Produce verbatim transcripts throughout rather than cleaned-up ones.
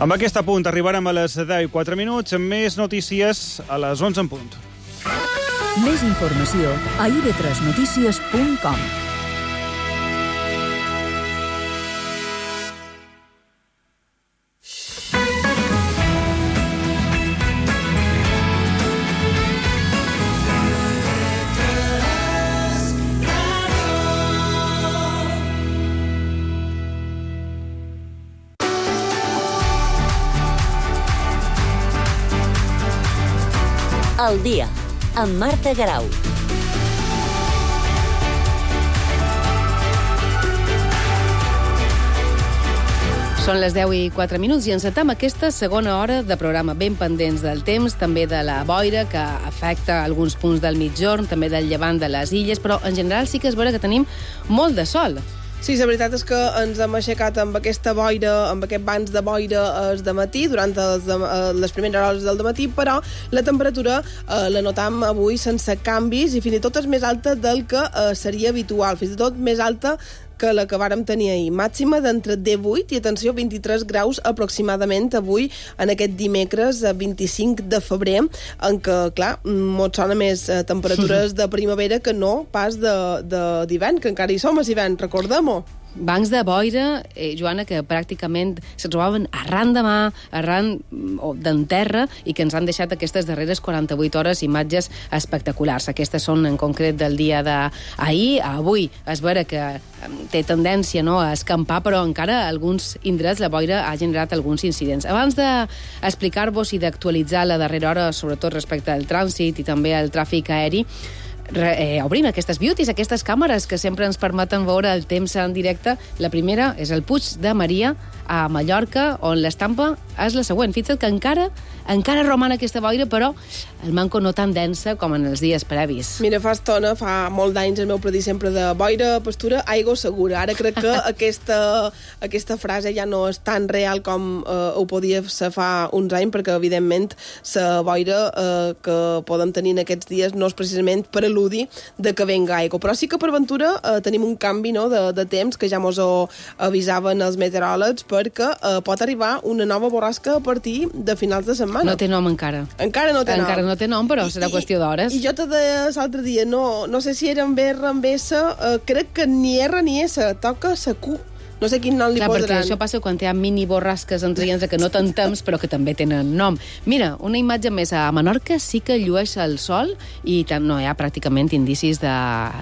Amb aquest apunt arribarem a les deu i quatre minuts, amb més notícies a les onze en punt. Més informació a i ve tres notícies punt com. El dia, amb Marta Garau. Són les deu i quatre minuts i encetem aquesta segona hora de programa ben pendents del temps, també de la boira que afecta alguns punts del migjorn, també del llevant de les illes, però en general sí que és vera que tenim molt de sol. Sí, la veritat és que ens hem aixecat amb aquesta boira, amb aquest bancs de boira el dematí, durant els de, les primeres hores del dematí, però la temperatura eh, la notam avui sense canvis i fins i tot és més alta del que eh, seria habitual, fins i tot més alta que la que vàrem tenir ahir. Màxima d'entre divuit i, atenció, vint-i-tres graus aproximadament avui, en aquest dimecres vint-i-cinc de febrer, en què, clar, mos sona més eh, temperatures de primavera que no pas d'hivern, que encara hi som a l'hivern, recordem-ho. Bancs de boira, eh, Joana, que pràcticament se trobaven arran de mà, arran d'en terra, i que ens han deixat aquestes darreres quaranta-vuit hores imatges espectaculars. Aquestes són en concret del dia d'ahir. Avui és vera que té tendència, no, a escampar, però encara a alguns indrets la boira ha generat alguns incidents. Abans d'explicar-vos i d'actualitzar la darrera hora, sobretot respecte al trànsit i també al tràfic aeri, Re, eh, obrim aquestes beauties, aquestes càmeres que sempre ens permeten veure el temps en directe. La primera és el Puig de Maria a Mallorca, on l'estampa és la següent. Fixa't que encara encara roman aquesta boira, però el manco no tan densa com en els dies previs. Mira, fa estona, fa molt d'anys el meu predí sempre de boira, pastura, aigua segura. Ara crec que aquesta, aquesta frase ja no és tan real com eh, ho podia ser fa uns anys, perquè evidentment la boira eh, que podem tenir en aquests dies no és precisament per al·ludir de que venga aigua. Però sí que per ventura eh, tenim un canvi, no, de, de temps que ja mos ho avisaven els meteoròlegs, perquè eh, pot arribar una nova borrasca a partir de finals de setmana. No té nom encara. Encara no té nom. Encara no té nom, però serà qüestió d'hores. I jo te deia l'altre dia, no, no sé si era amb R, amb S, eh, crec que ni R ni S, toca sa Q. No sé quin nom li Clar, posaran. perquè això passa quan hi ha mini borrasques entre ells que no tenen temps, però que també tenen nom. Mira, una imatge més. A Menorca sí que llueix el sol i tant, no hi ha pràcticament indicis de,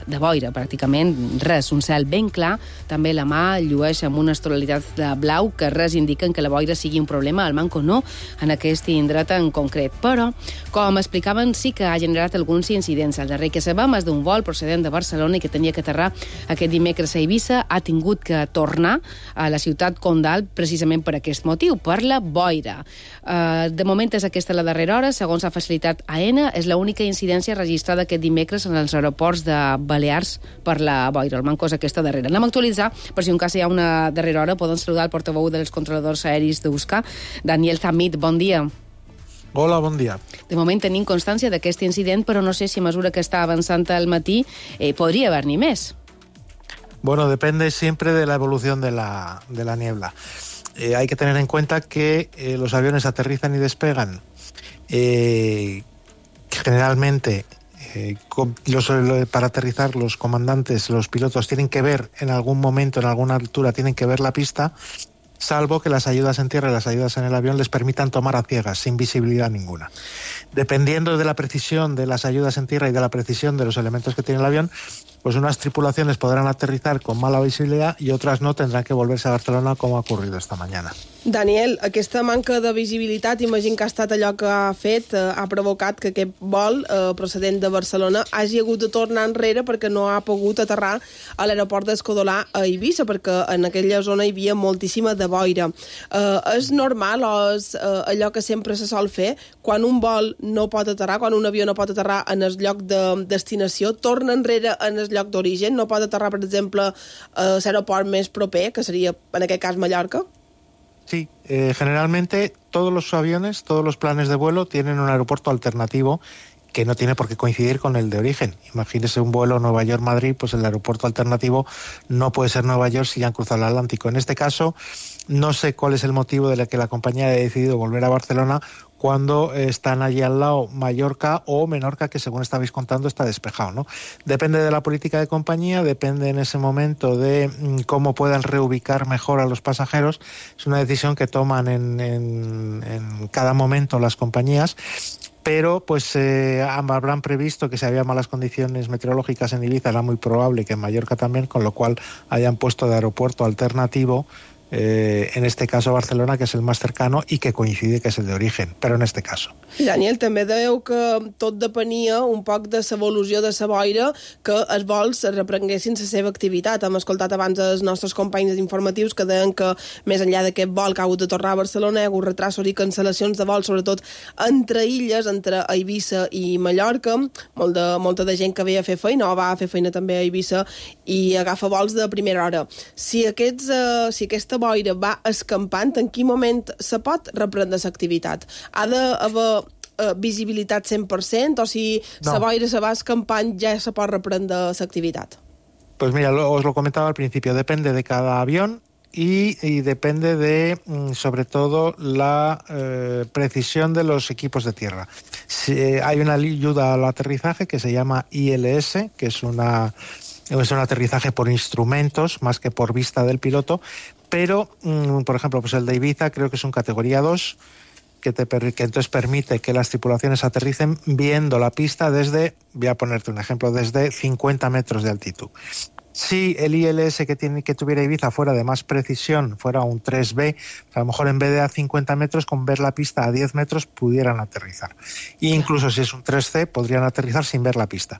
de boira, pràcticament res. Un cel ben clar, també la mà llueix amb unes tonalitats de blau que res indiquen que la boira sigui un problema, al manco no, en aquest indret en concret. Però, com explicaven, sí que ha generat alguns incidents. El darrer que sabem és d'un vol procedent de Barcelona i que tenia que aterrar aquest dimecres a Eivissa, ha tingut que tornar a la ciutat condal precisament per aquest motiu, per la boira. Uh, de moment és aquesta la darrera hora, segons ha facilitat AENA, és l'única incidència registrada aquest dimecres en els aeroports de Balears per la boira. El manco és aquesta darrera. Anem a actualitzar, per si un cas hi ha una darrera hora, poden saludar el portaveu dels controladors aeris d'Euskà, Daniel Zamit, bon dia. Hola, bon dia. De moment tenim constància d'aquest incident, però no sé si a mesura que està avançant al matí eh, podria haver-n'hi més. Bueno, depende siempre de la evolución de la, de la niebla. Eh, hay que tener en cuenta que eh, los aviones aterrizan y despegan. Eh, generalmente, eh, los, para aterrizar, los comandantes, los pilotos tienen que ver en algún momento, en alguna altura, tienen que ver la pista, salvo que las ayudas en tierra y las ayudas en el avión les permitan tomar a ciegas, sin visibilidad ninguna. Dependiendo de la precisión de las ayudas en tierra y de la precisión de los elementos que tiene el avión, pues unas tripulaciones podrán aterrizar con mala visibilidad y otras no, tendrán que volverse a Barcelona, como ha ocurrido esta mañana. Daniel, aquesta manca de visibilitat, imagino que ha estat allò que ha fet, eh, ha provocat que aquest vol eh, procedent de Barcelona hagi hagut de tornar enrere perquè no ha pogut aterrar a l'aeroport d'Escodolà a Eivissa, perquè en aquella zona hi havia moltíssima de boira. Eh, és normal o és eh, allò que sempre se sol fer, quan un vol no pot aterrar, quan un avió no pot aterrar en el lloc de destinació, torna enrere en el lloc d'origen, no pot aterrar, per exemple, a l'aeroport més proper, que seria, en aquest cas, Mallorca? Sí, eh, generalmente todos los aviones, todos los planes de vuelo tienen un aeropuerto alternativo que no tiene por qué coincidir con el de origen. Imagínese un vuelo Nueva York-Madrid, pues el aeropuerto alternativo no puede ser Nueva York si ya han cruzado el Atlántico. En este caso, no sé cuál es el motivo de la que la compañía haya decidido volver a Barcelona cuando están allí al lado Mallorca o Menorca, que según estabais contando está despejado, ¿no? Depende de la política de compañía, depende en ese momento de cómo puedan reubicar mejor a los pasajeros. Es una decisión que toman en, en, en cada momento las compañías, pero pues eh, habrán previsto que si había malas condiciones meteorológicas en Ibiza era muy probable que en Mallorca también, con lo cual hayan puesto de aeropuerto alternativo, eh, en este caso Barcelona, que és el més cercano i que coincide que és el d'origen, però en este caso. I Daniel, també dèieu que tot depenia un poc de l'evolució de la boira, que els vols reprenguessin la seva activitat. Hem escoltat abans els nostres companys informatius que deien que més enllà d'aquest vol que ha hagut de tornar a Barcelona hi ha hagut retrasos i cancel·lacions de vols, sobretot entre illes, entre Eivissa i Mallorca. Molt de, molta de gent que ve a fer feina o va a fer feina també a Eivissa i agafa vols de primera hora. Si, aquests, eh, si aquesta boira va escampant, en quin moment se pot reprendre l'activitat? Ha d'haver eh, visibilitat cent per cent o si la no. boira se va escampant ja se pot reprendre l'activitat? Pues mira, lo, os lo comentaba al principio, depende de cada avión y, y depende de, sobre todo, la eh, precisión de los equipos de tierra. Si, eh, hay una ayuda al aterrizaje que se llama I L S, que es una... es un aterrizaje por instrumentos más que por vista del piloto, pero, mmm, por ejemplo, pues el de Ibiza creo que es un categoría dos, que, te, que entonces permite que las tripulaciones aterricen viendo la pista desde, voy a ponerte un ejemplo, desde cincuenta metros de altitud. Si el I L S que, tiene, que tuviera Ibiza fuera de más precisión, fuera un tres B, a lo mejor en vez de a cincuenta metros, con ver la pista a diez metros, pudieran aterrizar. E incluso si es un tres C, podrían aterrizar sin ver la pista.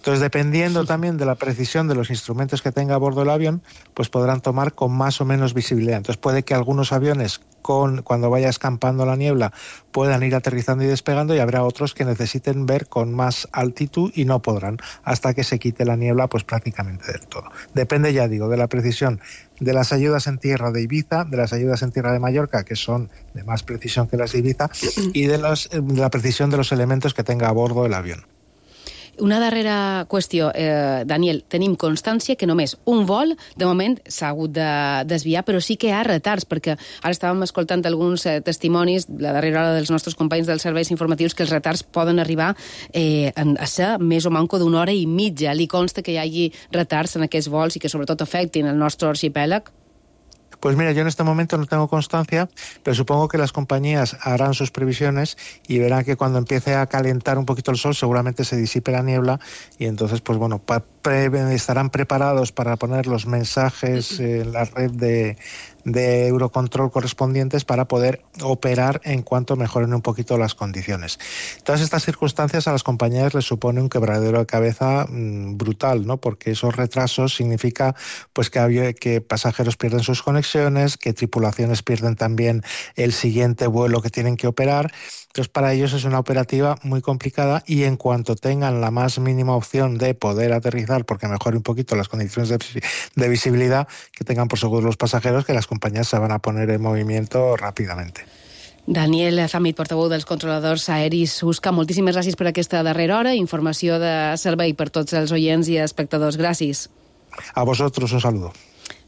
Entonces, dependiendo también de la precisión de los instrumentos que tenga a bordo el avión, pues podrán tomar con más o menos visibilidad. Entonces, puede que algunos aviones, con, cuando vaya escampando la niebla, puedan ir aterrizando y despegando, y habrá otros que necesiten ver con más altitud y no podrán hasta que se quite la niebla, pues prácticamente del todo. Depende, ya digo, de la precisión de las ayudas en tierra de Ibiza, de las ayudas en tierra de Mallorca, que son de más precisión que las de Ibiza, y de, los, de la precisión de los elementos que tenga a bordo el avión. Una darrera qüestió, eh, Daniel, tenim constància que només un vol, de moment, s'ha hagut de desviar, però sí que hi ha retards, perquè ara estàvem escoltant alguns eh, testimonis, la darrera hora dels nostres companys dels serveis informatius, que els retards poden arribar eh, a ser més o manco d'una hora i mitja. Li consta que hi hagi retards en aquests vols i que sobretot afectin el nostre arxipèlag? Pues mira, yo en este momento no tengo constancia, pero supongo que las compañías harán sus previsiones y verán que cuando empiece a calentar un poquito el sol seguramente se disipe la niebla y entonces, pues bueno, pa- pre- estarán preparados para poner los mensajes en la red de, de Eurocontrol correspondientes para poder operar en cuanto mejoren un poquito las condiciones. Todas estas circunstancias a las compañías les supone un quebradero de cabeza mmm, brutal, ¿no? Porque esos retrasos significa pues que, había, que pasajeros pierden sus conexiones, que tripulaciones pierden también el siguiente vuelo que tienen que operar. Entonces, para ellos es una operativa muy complicada y en cuanto tengan la más mínima opción de poder aterrizar, porque mejore un poquito las condiciones de, de visibilidad, que tengan por seguro los pasajeros, que las compañías se van a poner en movimiento rápidamente. Daniel Zamit, portaveu dels controladors aeris U S C A, moltíssimes gràcies per aquesta darrera hora. Informació de servei per tots els oients i espectadors. Gràcies. A vosotros un saludo.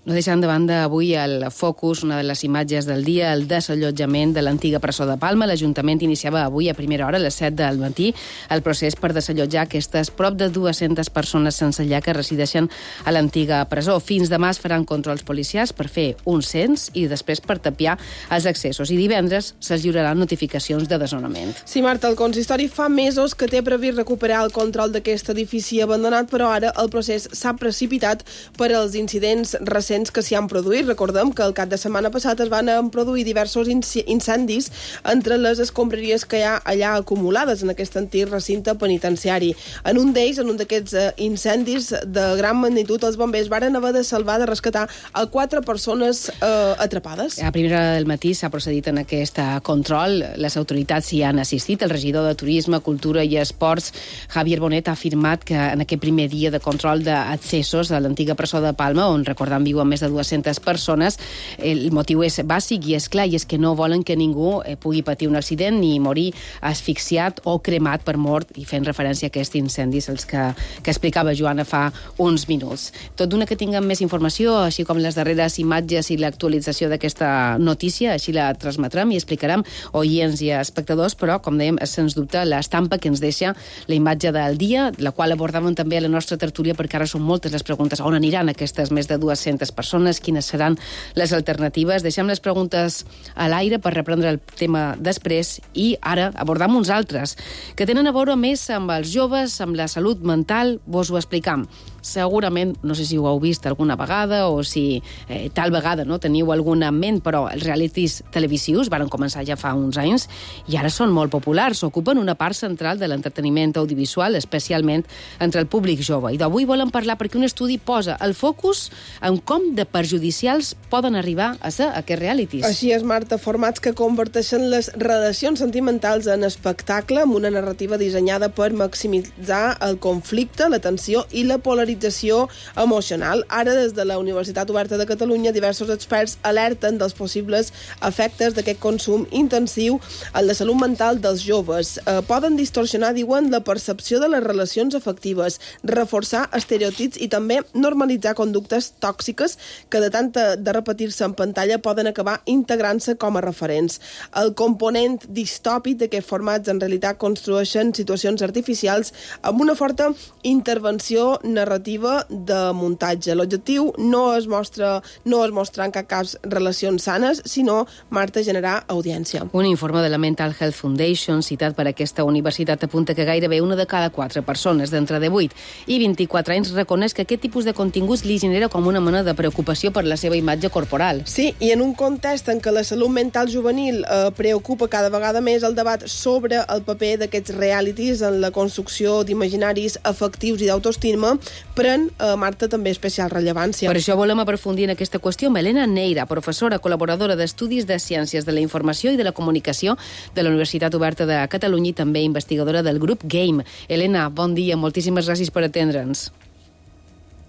No deixant de banda avui el focus, una de les imatges del dia, el desallotjament de l'antiga presó de Palma. L'Ajuntament iniciava avui a primera hora, a les set del matí, el procés per desallotjar aquestes prop de dues-centes persones sense llar que resideixen a l'antiga presó. Fins demà es faran controls policials per fer un cens i després per tapiar els accessos. I divendres se'ls lliuraran notificacions de desnonament. Sí, Marta, el consistori fa mesos que té previst recuperar el control d'aquest edifici abandonat, però ara el procés s'ha precipitat per als incidents recents que s'hi han produït. Recordem que el cap de setmana passat es van produir diversos incendis entre les escombraries que hi ha allà acumulades en aquest antic recinte penitenciari. En un d'ells, en un d'aquests incendis de gran magnitud, els bombers varen haver de salvar, de rescatar a quatre persones eh, atrapades. A primera hora del matí s'ha procedit en aquest control. Les autoritats hi han assistit. El regidor de Turisme, Cultura i Esports, Javier Bonet, ha afirmat que en aquest primer dia de control d'accessos a l'antiga presó de Palma, on, recordem, viuen amb més de dues-centes persones. El motiu és bàsic i és clar, i és que no volen que ningú eh, pugui patir un accident ni morir asfixiat o cremat per mort, i fent referència a aquests incendis els que, que explicava Joana fa uns minuts. Tot d'una que tinguem més informació, així com les darreres imatges i l'actualització d'aquesta notícia, així la transmetrem i explicarem oients i espectadors, però, com dèiem, és sens dubte l'estampa que ens deixa la imatge del dia, la qual abordàvem també a la nostra tertúlia, perquè ara són moltes les preguntes. On aniran aquestes més de dues-centes persones? Quines seran les alternatives? Deixem les preguntes a l'aire per reprendre el tema després i ara abordam uns altres que tenen a veure més amb els joves, amb la salut mental. Vos ho explicam. Segurament, no sé si ho heu vist alguna vegada o si eh, tal vegada no teniu alguna en ment, però els realities televisius varen començar ja fa uns anys i ara són molt populars, ocupen una part central de l'entreteniment audiovisual, especialment entre el públic jove. I d'avui volem parlar perquè un estudi posa el focus en com de perjudicials poden arribar a ser aquests realities. Així és, Marta, formats que converteixen les relacions sentimentals en espectacle amb una narrativa dissenyada per maximitzar el conflicte, la tensió i la polarització emocional. Ara, des de la Universitat Oberta de Catalunya, diversos experts alerten dels possibles efectes d'aquest consum intensiu en la salut mental dels joves. Eh, poden distorsionar, diuen, la percepció de les relacions afectives, reforçar estereotips i també normalitzar conductes tòxiques que de tant de repetir-se en pantalla poden acabar integrant-se com a referents. El component distòpic d'aquests formats en realitat construeixen situacions artificials amb una forta intervenció narrativa de muntatge. L'objectiu no es mostra no es mostra en cap cas relacions sanes, sinó, Marta, generar audiència. Un informe de la Mental Health Foundation, citat per aquesta universitat, apunta que gairebé una de cada quatre persones d'entre divuit i vint-i-quatre anys reconeix que aquest tipus de continguts li genera com una mena de preocupació per la seva imatge corporal. Sí, i en un context en què la salut mental juvenil eh, preocupa cada vegada més, el debat sobre el paper d'aquests realities en la construcció d'imaginaris afectius i d'autoestima pren, eh, Marta, també especial rellevància. Per això volem aprofundir en aquesta qüestió amb Elena Neira, professora col·laboradora d'Estudis de Ciències de la Informació i de la Comunicació de la Universitat Oberta de Catalunya i també investigadora del grup Game. Elena, bon dia, moltíssimes gràcies per atendre'ns.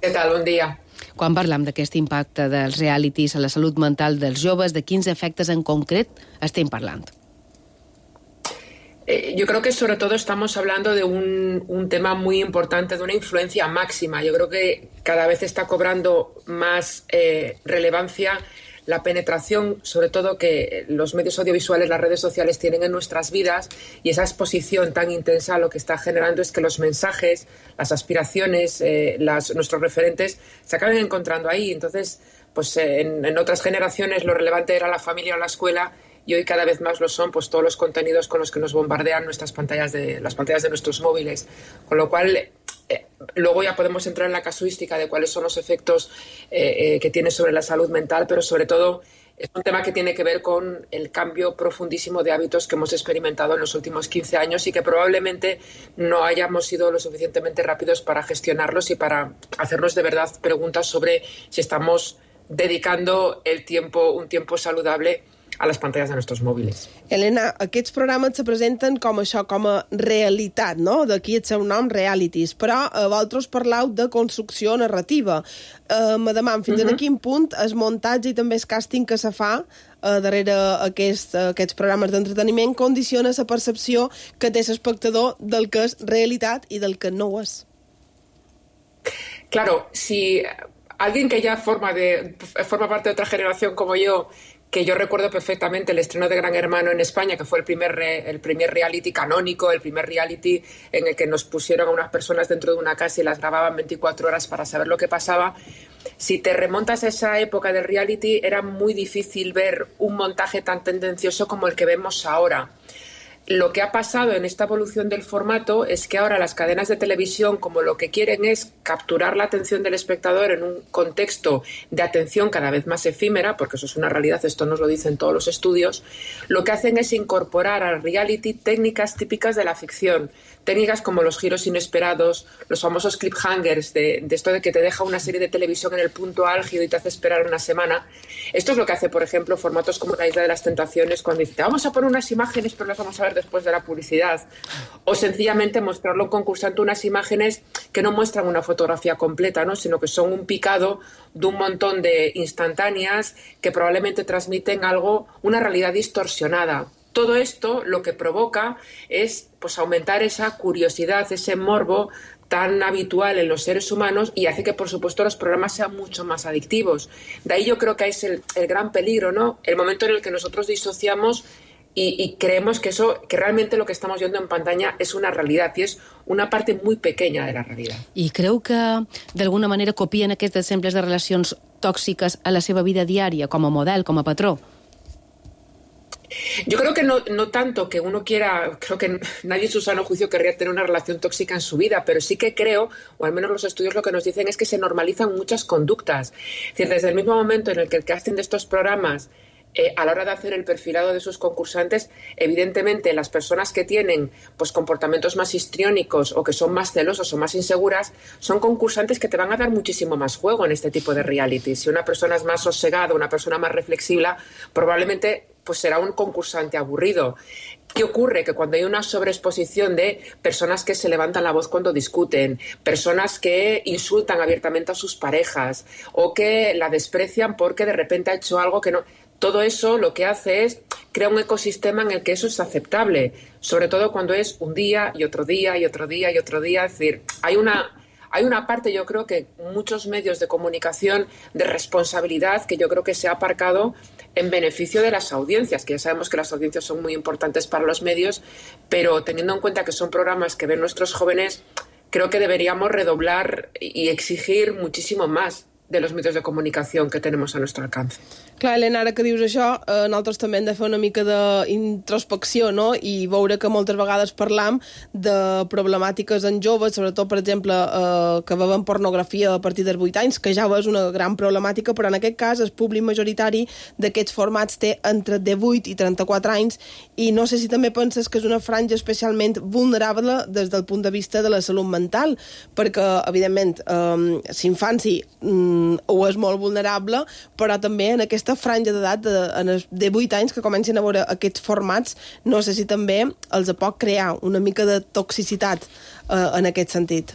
Què tal? Bon dia. Quan parlam d'aquest impacte dels realities a la salut mental dels joves, de quins efectes en concret estem parlant? Eh, yo creo que sobre todo estamos hablando de un, un tema muy importante, de una influencia máxima. Yo creo que cada vez está cobrando más eh, relevancia la penetración, sobre todo que los medios audiovisuales, las redes sociales tienen en nuestras vidas, y esa exposición tan intensa lo que está generando es que los mensajes, las aspiraciones, eh, las, nuestros referentes se acaben encontrando ahí. Entonces, pues eh, en, en otras generaciones lo relevante era la familia o la escuela, y hoy cada vez más lo son pues todos los contenidos con los que nos bombardean nuestras pantallas de las pantallas de nuestros móviles, con lo cual eh, luego ya podemos entrar en la casuística de cuáles son los efectos eh, eh, que tiene sobre la salud mental, pero sobre todo es un tema que tiene que ver con el cambio profundísimo de hábitos que hemos experimentado en los últimos quince años y que probablemente no hayamos sido lo suficientemente rápidos para gestionarlos y para hacernos de verdad preguntas sobre si estamos dedicando el tiempo, un tiempo saludable a les pantalles de nostres mòbils. Elena, aquests programes se presenten com això, com a realitat, no? D'aquí el seu nom, realities, però eh, vosaltres parlau de construcció narrativa. Eh, me deman, fins uh -huh. a quin punt el muntatge i també el càsting que se fa eh, darrere aquest, eh, aquests programes d'entreteniment condiciona la percepció que té l'espectador del que és realitat i del que no ho és. Claro, si alguien que ya forma, de, forma parte de otra generación como yo, que yo recuerdo perfectamente el estreno de Gran Hermano en España, que fue el primer, re, el primer reality canónico, el primer reality en el que nos pusieron a unas personas dentro de una casa y las grababan veinticuatro horas para saber lo que pasaba. Si te remontas a esa época del reality, era muy difícil ver un montaje tan tendencioso como el que vemos ahora. Lo que ha pasado en esta evolución del formato es que ahora las cadenas de televisión, como lo que quieren es capturar la atención del espectador en un contexto de atención cada vez más efímera, porque eso es una realidad, esto nos lo dicen todos los estudios, lo que hacen es incorporar al reality técnicas típicas de la ficción, técnicas como los giros inesperados, los famosos cliffhangers, de, de esto de que te deja una serie de televisión en el punto álgido y te hace esperar una semana. Esto es lo que hace, por ejemplo, formatos como La Isla de las Tentaciones, cuando dice, vamos a poner unas imágenes, pero las vamos a ver después de la publicidad. O sencillamente mostrarle a un concursante unas imágenes que no muestran una fotografía completa, ¿no? Sino que son un picado de un montón de instantáneas que probablemente transmiten algo, una realidad distorsionada. Todo esto lo que provoca es pues, aumentar esa curiosidad, ese morbo tan habitual en los seres humanos y hace que, por supuesto, los programas sean mucho más adictivos. De ahí yo creo que es el, el gran peligro, ¿no? El momento en el que nosotros disociamos y, y creemos que eso, que realmente lo que estamos viendo en pantalla es una realidad y es una parte muy pequeña de la realidad. I creu que, d'alguna manera, copien aquests exemples de relacions tòxiques a la seva vida diària, com a model, com a patró? Yo creo que no, no tanto que uno quiera, creo que nadie en su sano juicio querría tener una relación tóxica en su vida, pero sí que creo, o al menos los estudios lo que nos dicen es que se normalizan muchas conductas. Es decir, desde el mismo momento en el que el casting de estos programas, eh, a la hora de hacer el perfilado de sus concursantes, evidentemente las personas que tienen pues, comportamientos más histriónicos o que son más celosos o más inseguras, son concursantes que te van a dar muchísimo más juego en este tipo de reality. Si una persona es más sosegada, una persona más reflexiva, probablemente pues será un concursante aburrido. ¿Qué ocurre? Que cuando hay una sobreexposición de personas que se levantan la voz cuando discuten, personas que insultan abiertamente a sus parejas o que la desprecian porque de repente ha hecho algo que no... Todo eso lo que hace es crear un ecosistema en el que eso es aceptable, sobre todo cuando es un día y otro día y otro día y otro día. Es decir, hay una... Hay una parte, yo creo que muchos medios de comunicación de responsabilidad que yo creo que se ha aparcado en beneficio de las audiencias, que ya sabemos que las audiencias son muy importantes para los medios, pero teniendo en cuenta que son programas que ven nuestros jóvenes, creo que deberíamos redoblar y exigir muchísimo más de los medios de comunicación que tenemos a nuestro alcance. Clar, Helena, ara que dius això, eh, nosaltres també hem de fer una mica d'introspecció, no?, i veure que moltes vegades parlam de problemàtiques en joves, sobretot, per exemple, eh, que veuen pornografia a partir dels vuit anys, que ja és una gran problemàtica, però en aquest cas el públic majoritari d'aquests formats té entre divuit i trenta-quatre anys, i no sé si també penses que és una franja especialment vulnerable des del punt de vista de la salut mental, perquè, evidentment, eh, l'infanci mm, ho és molt vulnerable, però també en aquesta franja d'edat de, de vuit anys que comencen a veure aquests formats, no sé si també els pot crear una mica de toxicitat eh, en aquest sentit.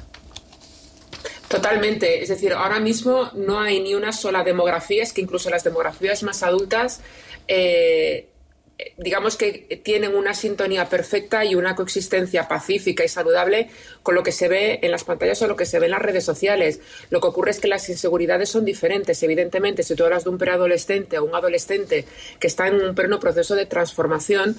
Totalmente. Es decir, ahora mismo no hay ni una sola demografía, es que incluso las demografías más adultas eh, digamos que tienen una sintonía perfecta y una coexistencia pacífica y saludable con lo que se ve en las pantallas o lo que se ve en las redes sociales. Lo que ocurre es que las inseguridades son diferentes. Evidentemente, si tú hablas de un preadolescente o un adolescente que está en un pleno proceso de transformación,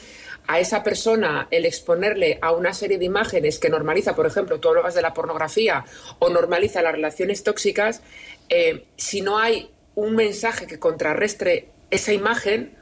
a esa persona el exponerle a una serie de imágenes que normaliza, por ejemplo, tú hablabas de la pornografía o normaliza las relaciones tóxicas, eh, si no hay un mensaje que contrarrestre esa imagen,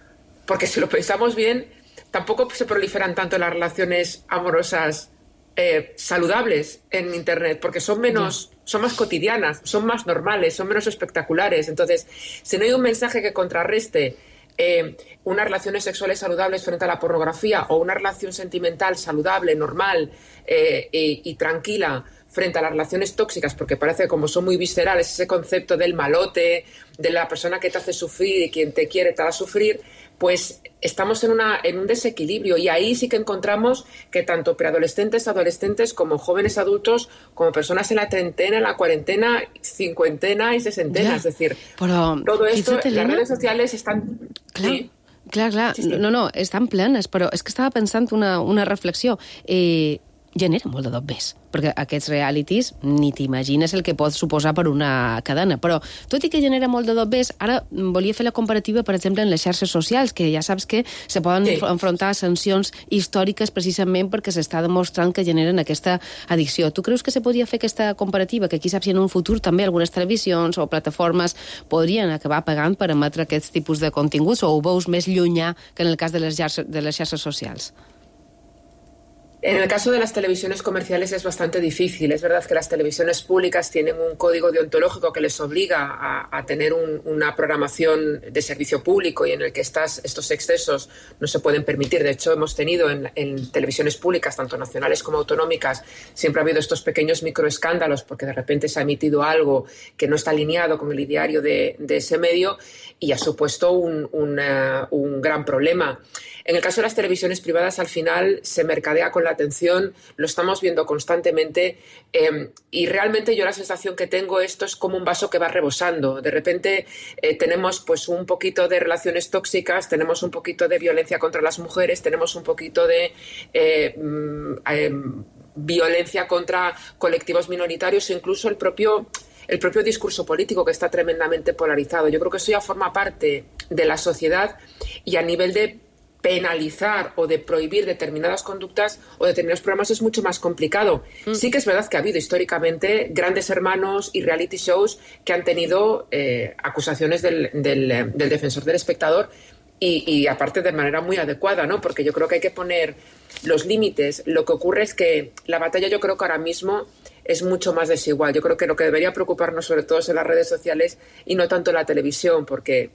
porque si lo pensamos bien, tampoco se proliferan tanto las relaciones amorosas eh, saludables en Internet, porque son menos, son más cotidianas, son más normales, son menos espectaculares. Entonces, si no hay un mensaje que contrarreste eh, unas relaciones sexuales saludables frente a la pornografía o una relación sentimental saludable, normal eh, y, y tranquila frente a las relaciones tóxicas, porque parece que como son muy viscerales, ese concepto del malote, de la persona que te hace sufrir y quien te quiere te hará sufrir, pues estamos en, una, en un desequilibrio y ahí sí que encontramos que tanto preadolescentes, adolescentes como jóvenes adultos, como personas en la treintena, en la cuarentena, cincuentena y sesentena, ja, es decir, però, todo esto, las redes sociales están... Clar, sí. clar, clar. Sí, sí. No, no, estan plenes, però és que estava pensant una, una reflexió. Eh, genera molt de dobbers, perquè aquests realities ni t'imagines el que pot suposar per una cadena, però tot i que genera molt de dobbers, ara volia fer la comparativa, per exemple, en les xarxes socials, que ja saps que se poden sí. enfrontar a sancions històriques precisament perquè s'està demostrant que generen aquesta addicció. Tu creus que se podria fer aquesta comparativa, que qui sap si en un futur també algunes televisions o plataformes podrien acabar pagant per emetre aquests tipus de continguts, o ho veus més llunyà que en el cas de les xarxes, de les xarxes socials? En el caso de las televisiones comerciales es bastante difícil. Es verdad que las televisiones públicas tienen un código deontológico que les obliga a, a tener un, una programación de servicio público y en el que estas, estos excesos no se pueden permitir. De hecho, hemos tenido en, en televisiones públicas, tanto nacionales como autonómicas, siempre ha habido estos pequeños microescándalos porque de repente se ha emitido algo que no está alineado con el ideario de, de ese medio y ha supuesto un, una, un gran problema. En el caso de las televisiones privadas, al final se mercadea con la atención, lo estamos viendo constantemente eh, y realmente yo la sensación que tengo, esto es como un vaso que va rebosando. De repente eh, tenemos pues un poquito de relaciones tóxicas, tenemos un poquito de violencia contra las mujeres, tenemos un poquito de eh, eh, violencia contra colectivos minoritarios e incluso el propio... el propio discurso político que está tremendamente polarizado. Yo creo que eso ya forma parte de la sociedad y a nivel de penalizar o de prohibir determinadas conductas o determinados programas es mucho más complicado. Mm. Sí que es verdad que ha habido históricamente grandes hermanos y reality shows que han tenido eh, acusaciones del, del, del defensor del espectador y, y aparte de manera muy adecuada, ¿no? Porque yo creo que hay que poner los límites. Lo que ocurre es que la batalla yo creo que ahora mismo es mucho más desigual. Yo creo que lo que debería preocuparnos sobre todo es en las redes sociales y no tanto en la televisión, porque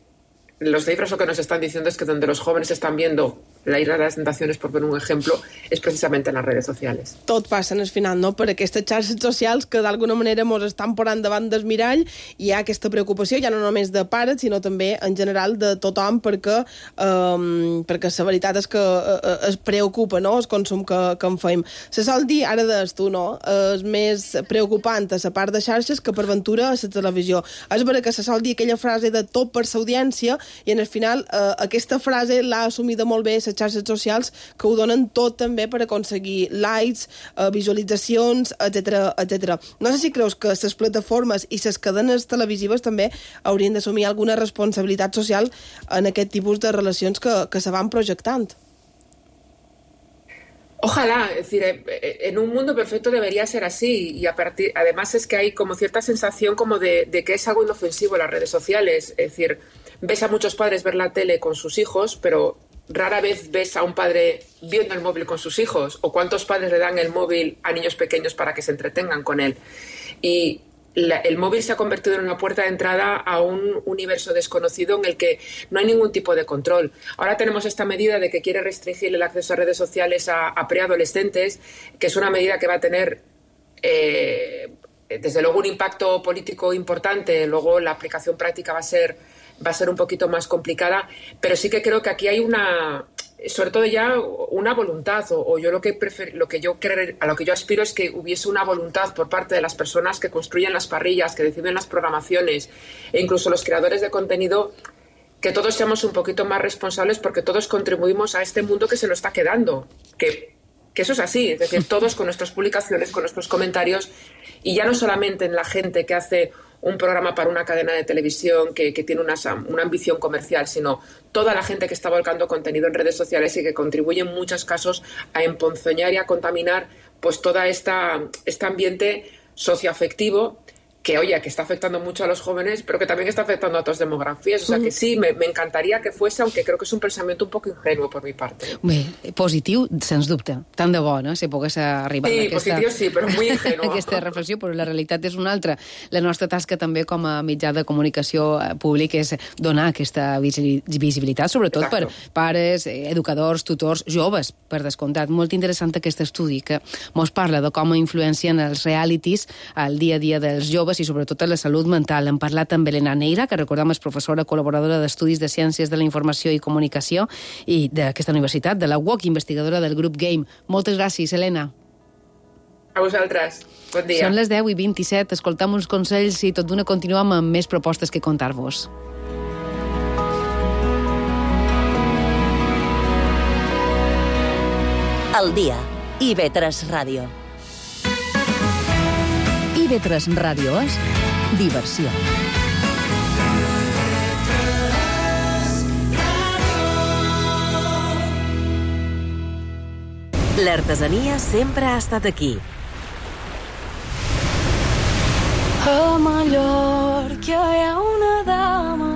los cifras lo que nos están diciendo es que donde los jóvenes están viendo la Isla de les Tentacions, per donar un exemple, és precisament en les redes socials. Tot passa en el final, no?, per aquestes xarxes socials que d'alguna manera ens estan posant davant del mirall i hi ha aquesta preocupació, ja no només de pares, sinó també en general de tothom, perquè, um, perquè la veritat és que uh, es preocupa, no?, el consum que, que en fem. Se sol dir, ara deies tu, no?, és més preocupant a la part de xarxes que per ventura a la televisió. És vera que se sol dir aquella frase de tot per l'audiència i en el final uh, aquesta frase l'ha assumida molt bé les xarxes socials, que ho donen tot també per aconseguir likes, eh, visualitzacions, etcètera, etcètera. No sé si creus que les plataformes i les cadenes televisives també haurien d'assumir alguna responsabilitat social en aquest tipus de relacions que, que se van projectant. Ojalá, es decir, en un mundo perfecto debería ser así y a partir, además es que hay como cierta sensación como de, de que es algo inofensivo las redes sociales, es decir, ves a muchos padres ver la tele con sus hijos, pero rara vez ves a un padre viendo el móvil con sus hijos, o cuántos padres le dan el móvil a niños pequeños para que se entretengan con él. Y la, el móvil se ha convertido en una puerta de entrada a un universo desconocido en el que no hay ningún tipo de control. Ahora tenemos esta medida de que quiere restringir el acceso a redes sociales a, a preadolescentes, que es una medida que va a tener eh, desde luego un impacto político importante, luego la aplicación práctica va a ser va a ser un poquito más complicada, pero sí que creo que aquí hay una, sobre todo ya una voluntad, o, o yo lo que prefiero, lo que yo creo, a lo que yo aspiro es que hubiese una voluntad por parte de las personas que construyen las parrillas, que deciden las programaciones, e incluso los creadores de contenido, que todos seamos un poquito más responsables porque todos contribuimos a este mundo que se nos está quedando, que, que eso es así, es decir, todos con nuestras publicaciones, con nuestros comentarios, y ya no solamente en la gente que hace un programa para una cadena de televisión que, que tiene una, una ambición comercial, sino toda la gente que está volcando contenido en redes sociales y que contribuye en muchos casos a emponzoñar y a contaminar pues toda esta este ambiente socioafectivo que, oye, que está afectando mucho a los jóvenes, pero que también está afectando a otras demografías. O sea, que sí, me, me encantaría que fuese, aunque creo que es un pensamiento un poco ingenuo por mi parte. Bé, positiu, sens dubte. Tant de bo, no?, si pogués arribar sí, a aquesta... positiu sí, però muy ingenuo. aquesta reflexió, però la realitat és una altra. La nostra tasca també com a mitjà de comunicació públic és donar aquesta visibilitat, sobretot Exacto. per pares, educadors, tutors, joves, per descomptat. Molt interessant aquest estudi que mos parla de com influencien els realities al dia a dia dels joves i sobretot a la salut mental. Hem parlat amb Elena Neira, que recordem és professora col·laboradora d'Estudis de Ciències de la Informació i Comunicació i d'aquesta universitat, de la U O C, investigadora del grup Game. Moltes gràcies, Elena. A vosaltres. Bon dia. Són les deu i vint-i-set. Escoltam uns consells i tot d'una continuem amb més propostes que contar-vos. El dia. I ve tres Ràdio. I ve tres Ràdio és diversió. L'artesania sempre ha estat aquí. A Mallorca hi ha una dama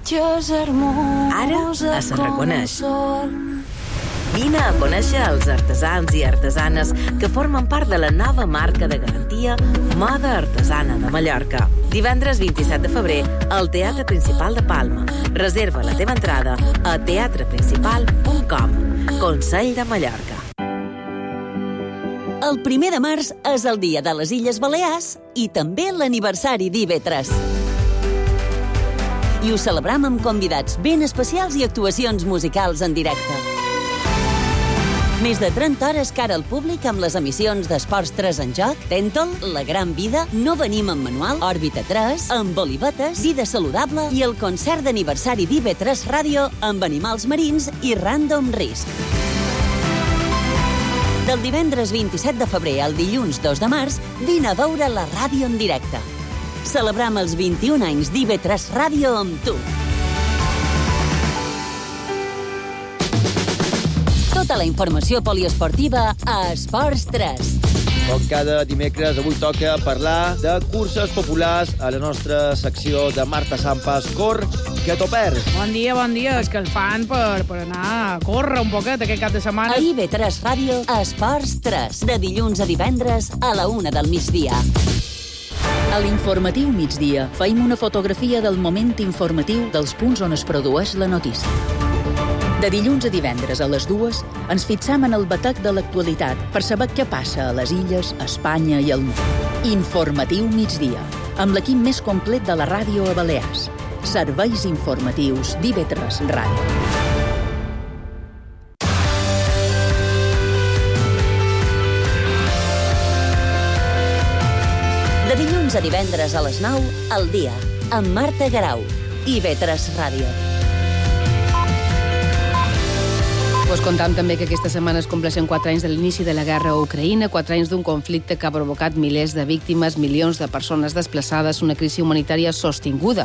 que és hermosa. Ara es reconeix. Vine Vine a conèixer els artesans i artesanes que formen part de la nova marca de garantia Moda Artesana de Mallorca. Divendres vint-i-set de febrer al Teatre Principal de Palma. Reserva la teva entrada a teatre principal punt com. Consell de Mallorca. El primer de març és el dia de les Illes Balears i també l'aniversari d'I B tres. I ho celebrem amb convidats ben especials i actuacions musicals en directe. Més de trenta hores cara al públic amb les emissions d'Esports tres en joc, Tèntol, La Gran Vida, No venim en manual, Òrbita tres, amb Olivetes, Vida Saludable i el concert d'aniversari d'I B tres Ràdio amb animals marins i Random Risk. Del divendres vint-i-set de febrer al dilluns dos de març, vine a veure la ràdio en directe. Celebrem els vint-i-un anys d'I B tres Ràdio amb tu. Tota la informació poliesportiva a Esports tres. Com cada dimecres, avui toca parlar de curses populars a la nostra secció de Marta Sampas, Cor, que t'ho perds. Bon dia, bon dia. És que el fan per, per anar a córrer un poquet aquest cap de setmana. A I B tres Ràdio, a Esports tres, de dilluns a divendres a la una del migdia. A l'informatiu migdia faim una fotografia del moment informatiu dels punts on es produeix la notícia. De dilluns a divendres a les dues ens fixam en el batec de l'actualitat per saber què passa a les illes, a Espanya i al món. Informatiu migdia, amb l'equip més complet de la ràdio a Balears. Serveis informatius d'I B tres Ràdio. De dilluns a divendres a les nou, al dia, amb Marta Garau, I B tres Ràdio. Us contam també que aquesta setmana es compleixen quatre anys de l'inici de la guerra a Ucraïna, quatre anys d'un conflicte que ha provocat milers de víctimes, milions de persones desplaçades, una crisi humanitària sostinguda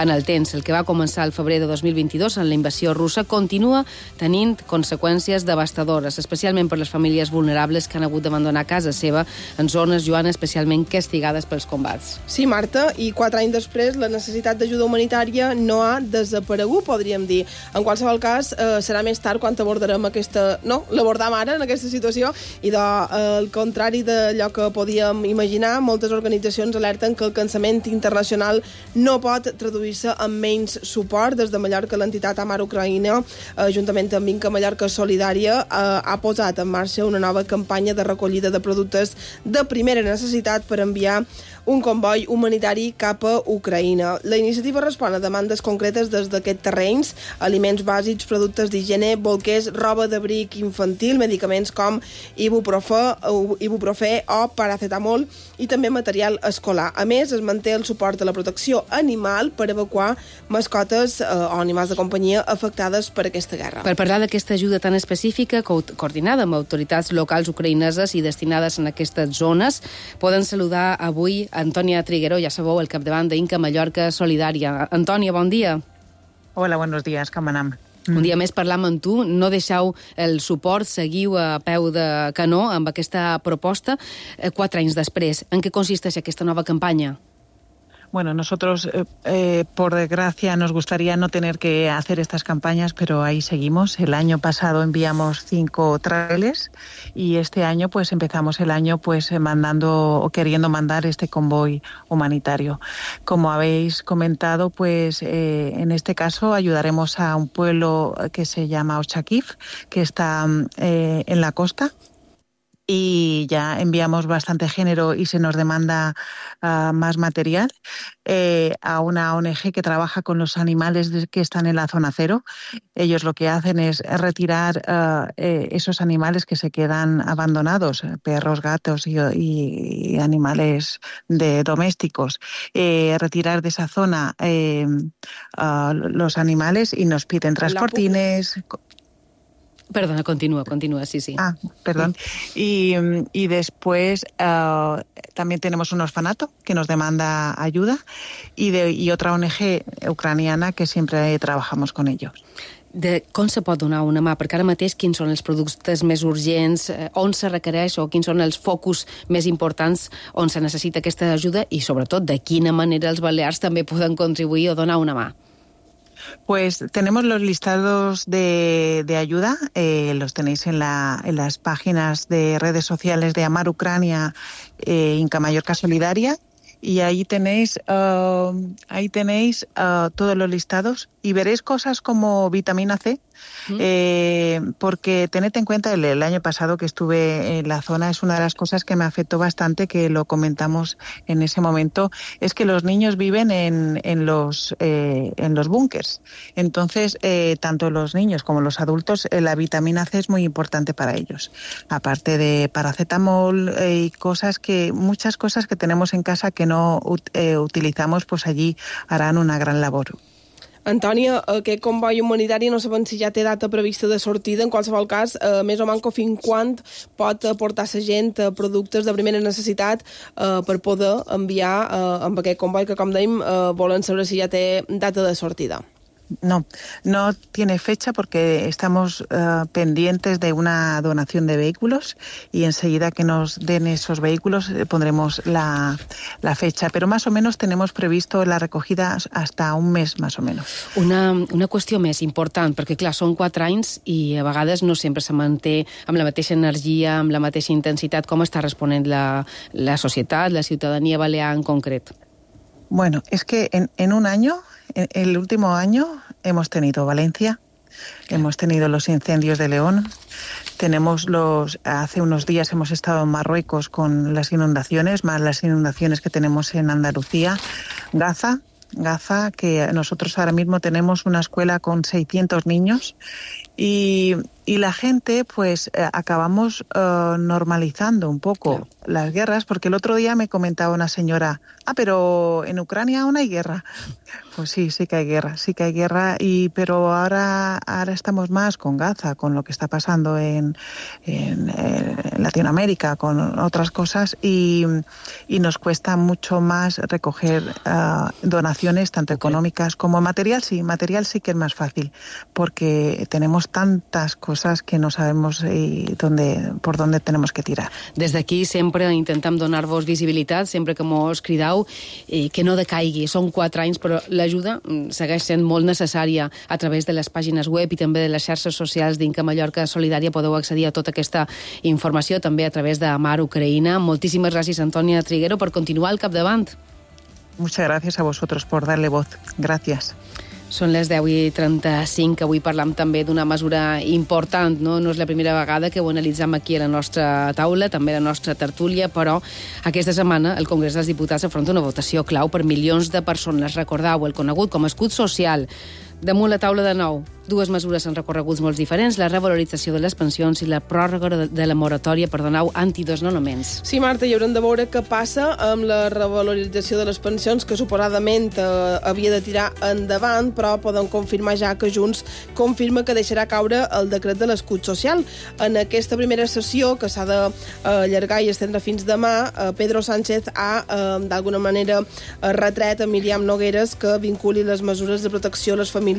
en el temps. El que va començar el febrer de dos mil vint-i-dos en la invasió russa continua tenint conseqüències devastadores, especialment per les famílies vulnerables que han hagut d'abandonar casa seva en zones, Joana, especialment castigades pels combats. Sí, Marta, i quatre anys després la necessitat d'ajuda humanitària no ha desaparegut, podríem dir. En qualsevol cas, eh, serà més tard quan abordarem aquesta... No, l'abordam ara en aquesta situació i de, eh, al contrari d'allò que podíem imaginar, moltes organitzacions alerten que el cansament internacional no pot traduir-se en menys suport. Des de Mallorca, l'entitat Amar Ucraïna, eh, juntament amb Vinca Mallorca Solidària, eh, ha posat en marxa una nova campanya de recollida de productes de primera necessitat per enviar un comboi humanitari cap a Ucraïna. La iniciativa respon a demandes concretes des d'aquests terrenys, aliments bàsics, productes d'higiene, bolquers, roba d'abric infantil, medicaments com ibuprofè, ibuprofè o paracetamol i també material escolar. A més, es manté el suport a la protecció animal per evacuar mascotes eh, o animals de companyia afectades per aquesta guerra. Per parlar d'aquesta ajuda tan específica, co coordinada amb autoritats locals ucraïneses i destinades en aquestes zones, poden saludar avui Antònia Triguero, ja sabeu, el capdavant d'Inca Mallorca Solidària. Antònia, bon dia. Hola, buenos días, com anem? Un dia més parlam amb tu, no deixeu el suport, seguiu a peu de canó amb aquesta proposta quatre anys després. En què consisteix aquesta nova campanya? Bueno, nosotros, eh, eh, por desgracia, nos gustaría no tener que hacer estas campañas, pero ahí seguimos. El año pasado enviamos cinco trailers y este año pues empezamos el año pues mandando o queriendo mandar este convoy humanitario. Como habéis comentado, pues eh, en este caso ayudaremos a un pueblo que se llama Ochakif, que está eh, en la costa. Y ya enviamos bastante género y se nos demanda uh, más material eh, a una O N G que trabaja con los animales de, que están en la zona cero. Ellos lo que hacen es retirar uh, eh, esos animales que se quedan abandonados, perros, gatos y, y, y animales de domésticos, eh, retirar de esa zona eh, uh, los animales y nos piden transportines. Perdona, continúa, continúa, sí, sí. Ah, perdón. Y, y después uh, también tenemos un orfanato que nos demanda ayuda y, de, y otra O N G ucraniana que siempre trabajamos con ellos. De com se pot donar una mà? Perquè ara mateix quins són els productes més urgents, eh, on se requereix o quins són els focus més importants on se necessita aquesta ajuda i sobretot de quina manera els balears també poden contribuir o donar una mà? Pues tenemos los listados de, de ayuda, eh, los tenéis en, la, en las páginas de redes sociales de Amar Ucrania, eh, Inca Mallorca Solidaria, y ahí tenéis, uh, ahí tenéis uh, todos los listados y veréis cosas como vitamina C, ¿Mm? eh, porque tened en cuenta, el, el año pasado que estuve en la zona, es una de las cosas que me afectó bastante, que lo comentamos en ese momento, es que los niños viven en, en los, eh, en los búnkers. Entonces, eh, tanto los niños como los adultos, eh, la vitamina C es muy importante para ellos. Aparte de paracetamol eh, y cosas que, muchas cosas que tenemos en casa que no eh, utilizamos, pues allí harán una gran labor. Antònia, aquest comboi humanitari no sabem si ja té data prevista de sortida. En qualsevol cas, eh, més o menys fins quan pot portar la gent eh, productes de primera necessitat eh, per poder enviar eh, amb aquest comboi que, com dèiem, eh, volen saber si ja té data de sortida. No, no tiene fecha porque estamos uh, pendientes de una donación de vehículos y enseguida que nos den esos vehículos eh, pondremos la, la fecha, pero más o menos tenemos previsto la recogida hasta un mes más o menos. Una, una qüestió més important, perquè clar, són quatre anys i a vegades no sempre se manté amb la mateixa energia, amb la mateixa intensitat. Com està responent la, la societat, la ciutadania balear en concret? Bueno, es que en, en un año, en el último año, hemos tenido Valencia, claro. Hemos tenido los incendios de León, tenemos los, hace unos días hemos estado en Marruecos con las inundaciones, más las inundaciones que tenemos en Andalucía, Gaza, Gaza, que nosotros ahora mismo tenemos una escuela con seiscientos niños y, y la gente, pues, eh, acabamos uh, normalizando un poco claro. las guerras, porque el otro día me comentaba una señora, ah, pero en Ucrania aún hay guerra. Pues sí, sí que hay guerra, sí que hay guerra, y pero ahora, ahora estamos más con Gaza, con lo que está pasando en, en, en Latinoamérica, con otras cosas, y, y nos cuesta mucho más recoger uh, donaciones, tanto económicas como material. Sí, material sí que es más fácil, porque tenemos tantas cosas que no sabemos eh, dónde, por dónde tenemos que tirar. Des d'aquí sempre intentem donar-vos visibilitat, sempre que mos cridau, eh, que no decaigui. Són quatre anys, però l'ajuda segueix sent molt necessària a través de les pàgines web i també de les xarxes socials d'Inca Mallorca Solidària. Podeu accedir a tota aquesta informació també a través de Amar Ucraïna. Moltíssimes gràcies, Antònia Triguero, per continuar al capdavant. Muchas gracias a vosotros por darle voz. Gracias. Són les deu i trenta-cinc. Avui parlam també d'una mesura important, no? No és la primera vegada que ho analitzem aquí a la nostra taula, també a la nostra tertúlia, però aquesta setmana el Congrés dels Diputats afronta una votació clau per milions de persones. Recordeu, el conegut com a escut social. Damunt la taula de nou, dues mesures en recorreguts molt diferents, la revalorització de les pensions i la pròrroga de la moratòria per donar antidesnonaments. Sí, Marta, hi haurem de veure què passa amb la revalorització de les pensions, que suposadament eh, havia de tirar endavant, però podem confirmar ja que Junts confirma que deixarà caure el decret de l'escut social. En aquesta primera sessió, que s'ha d'allargar i estendre fins demà, eh, Pedro Sánchez ha, eh, d'alguna manera, eh, retret a Míriam Nogueras que vinculi les mesures de protecció a les famílies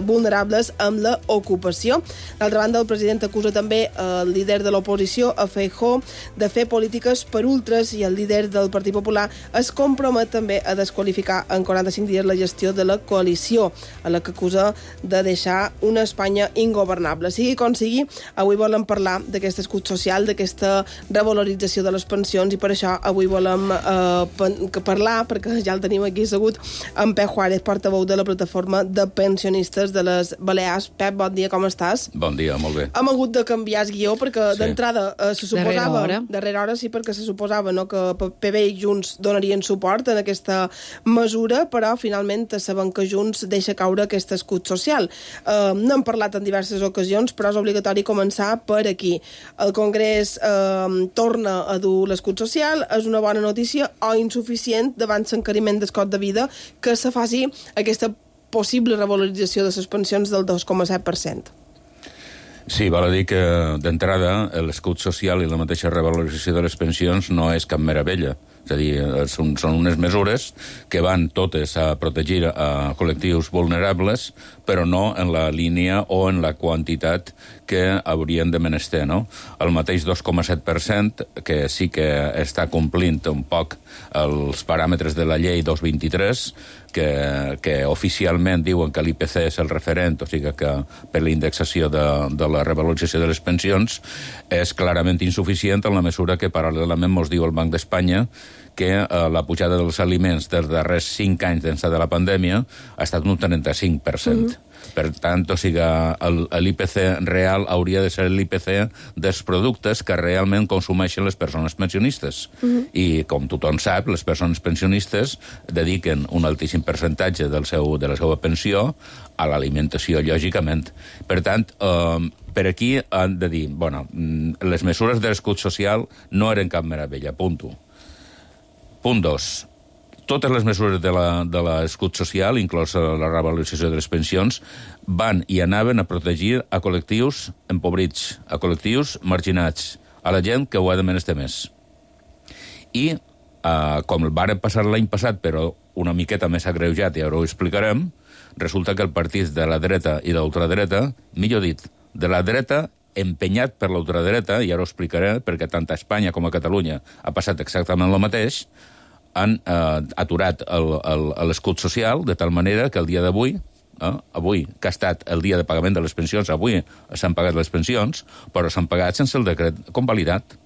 vulnerables amb la ocupació. D'altra banda, el president acusa també el líder de l'oposició, a Feijóo, de fer polítiques per ultres, i el líder del Partit Popular es compromet també a desqualificar en quaranta-cinc dies la gestió de la coalició, a la que acusa de deixar una Espanya ingovernable. Sigui com sigui, avui volem parlar d'aquest escut social, d'aquesta revalorització de les pensions, i per això avui volem eh, parlar, perquè ja el tenim aquí assegut, amb Pep Juárez, portaveu de la plataforma de pensionistes de les Balears. Pep, bon dia, com estàs? Bon dia, molt bé. Hem hagut de canviar el guió perquè sí. d'entrada eh, se suposava... Darrere hora. Darrere hora, sí, perquè se suposava, no, que P B i Junts donarien suport en aquesta mesura, però finalment sabem que Junts deixa caure aquest escut social. Eh, no hem parlat en diverses ocasions, però és obligatori començar per aquí. El Congrés eh, torna a dur l'escut social. És una bona notícia o insuficient davant l'encariment del cost de vida que se faci aquesta possible revalorització de les pensions del dos coma set per cent. Sí, val a dir que d'entrada l'escut social i la mateixa revalorització de les pensions no és cap meravella, És a dir, són, són unes mesures que van totes a protegir a col·lectius vulnerables, però no en la línia o en la quantitat que haurien de menester, no? El mateix dos coma set per cent, que sí que està complint un poc els paràmetres de la llei dos vint-i-tres, que, que oficialment diuen que l'I P C és el referent, o sigui que per la indexació de, de la revalorització de les pensions és clarament insuficient en la mesura que paral·lelament mos diu el Banc d'Espanya que eh, la pujada dels aliments dels darrers cinc anys d'ençà de la pandèmia ha estat un trenta-cinc per cent. Mm-hmm. Per tant, o sigui, l'I P C real hauria de ser l'I P C dels productes que realment consumeixen les persones pensionistes. Mm-hmm. I, com tothom sap, les persones pensionistes dediquen un altíssim percentatge del seu, de la seva pensió a l'alimentació, lògicament. Per tant, eh, per aquí han de dir, bueno, les mesures de l'escut social no eren cap meravella, punto. Punt dos. Totes les mesures de l'escut social, inclòs la revalorització de les pensions, van i anaven a protegir a col·lectius empobrits, a col·lectius marginats, a la gent que ho ha de menester més. I, eh, com el varen passar l'any passat, però una miqueta més agreujat, i ara ho explicarem, resulta que el partit de la dreta i de l'ultradreta, millor dit, de la dreta empenyat per l'ultradreta, i ara ho explicaré, perquè tant a Espanya com a Catalunya ha passat exactament el mateix, han eh, aturat l'escut social de tal manera que el dia d'avui, eh, avui, que ha estat el dia de pagament de les pensions, avui s'han pagat les pensions, però s'han pagat sense el decret convalidat.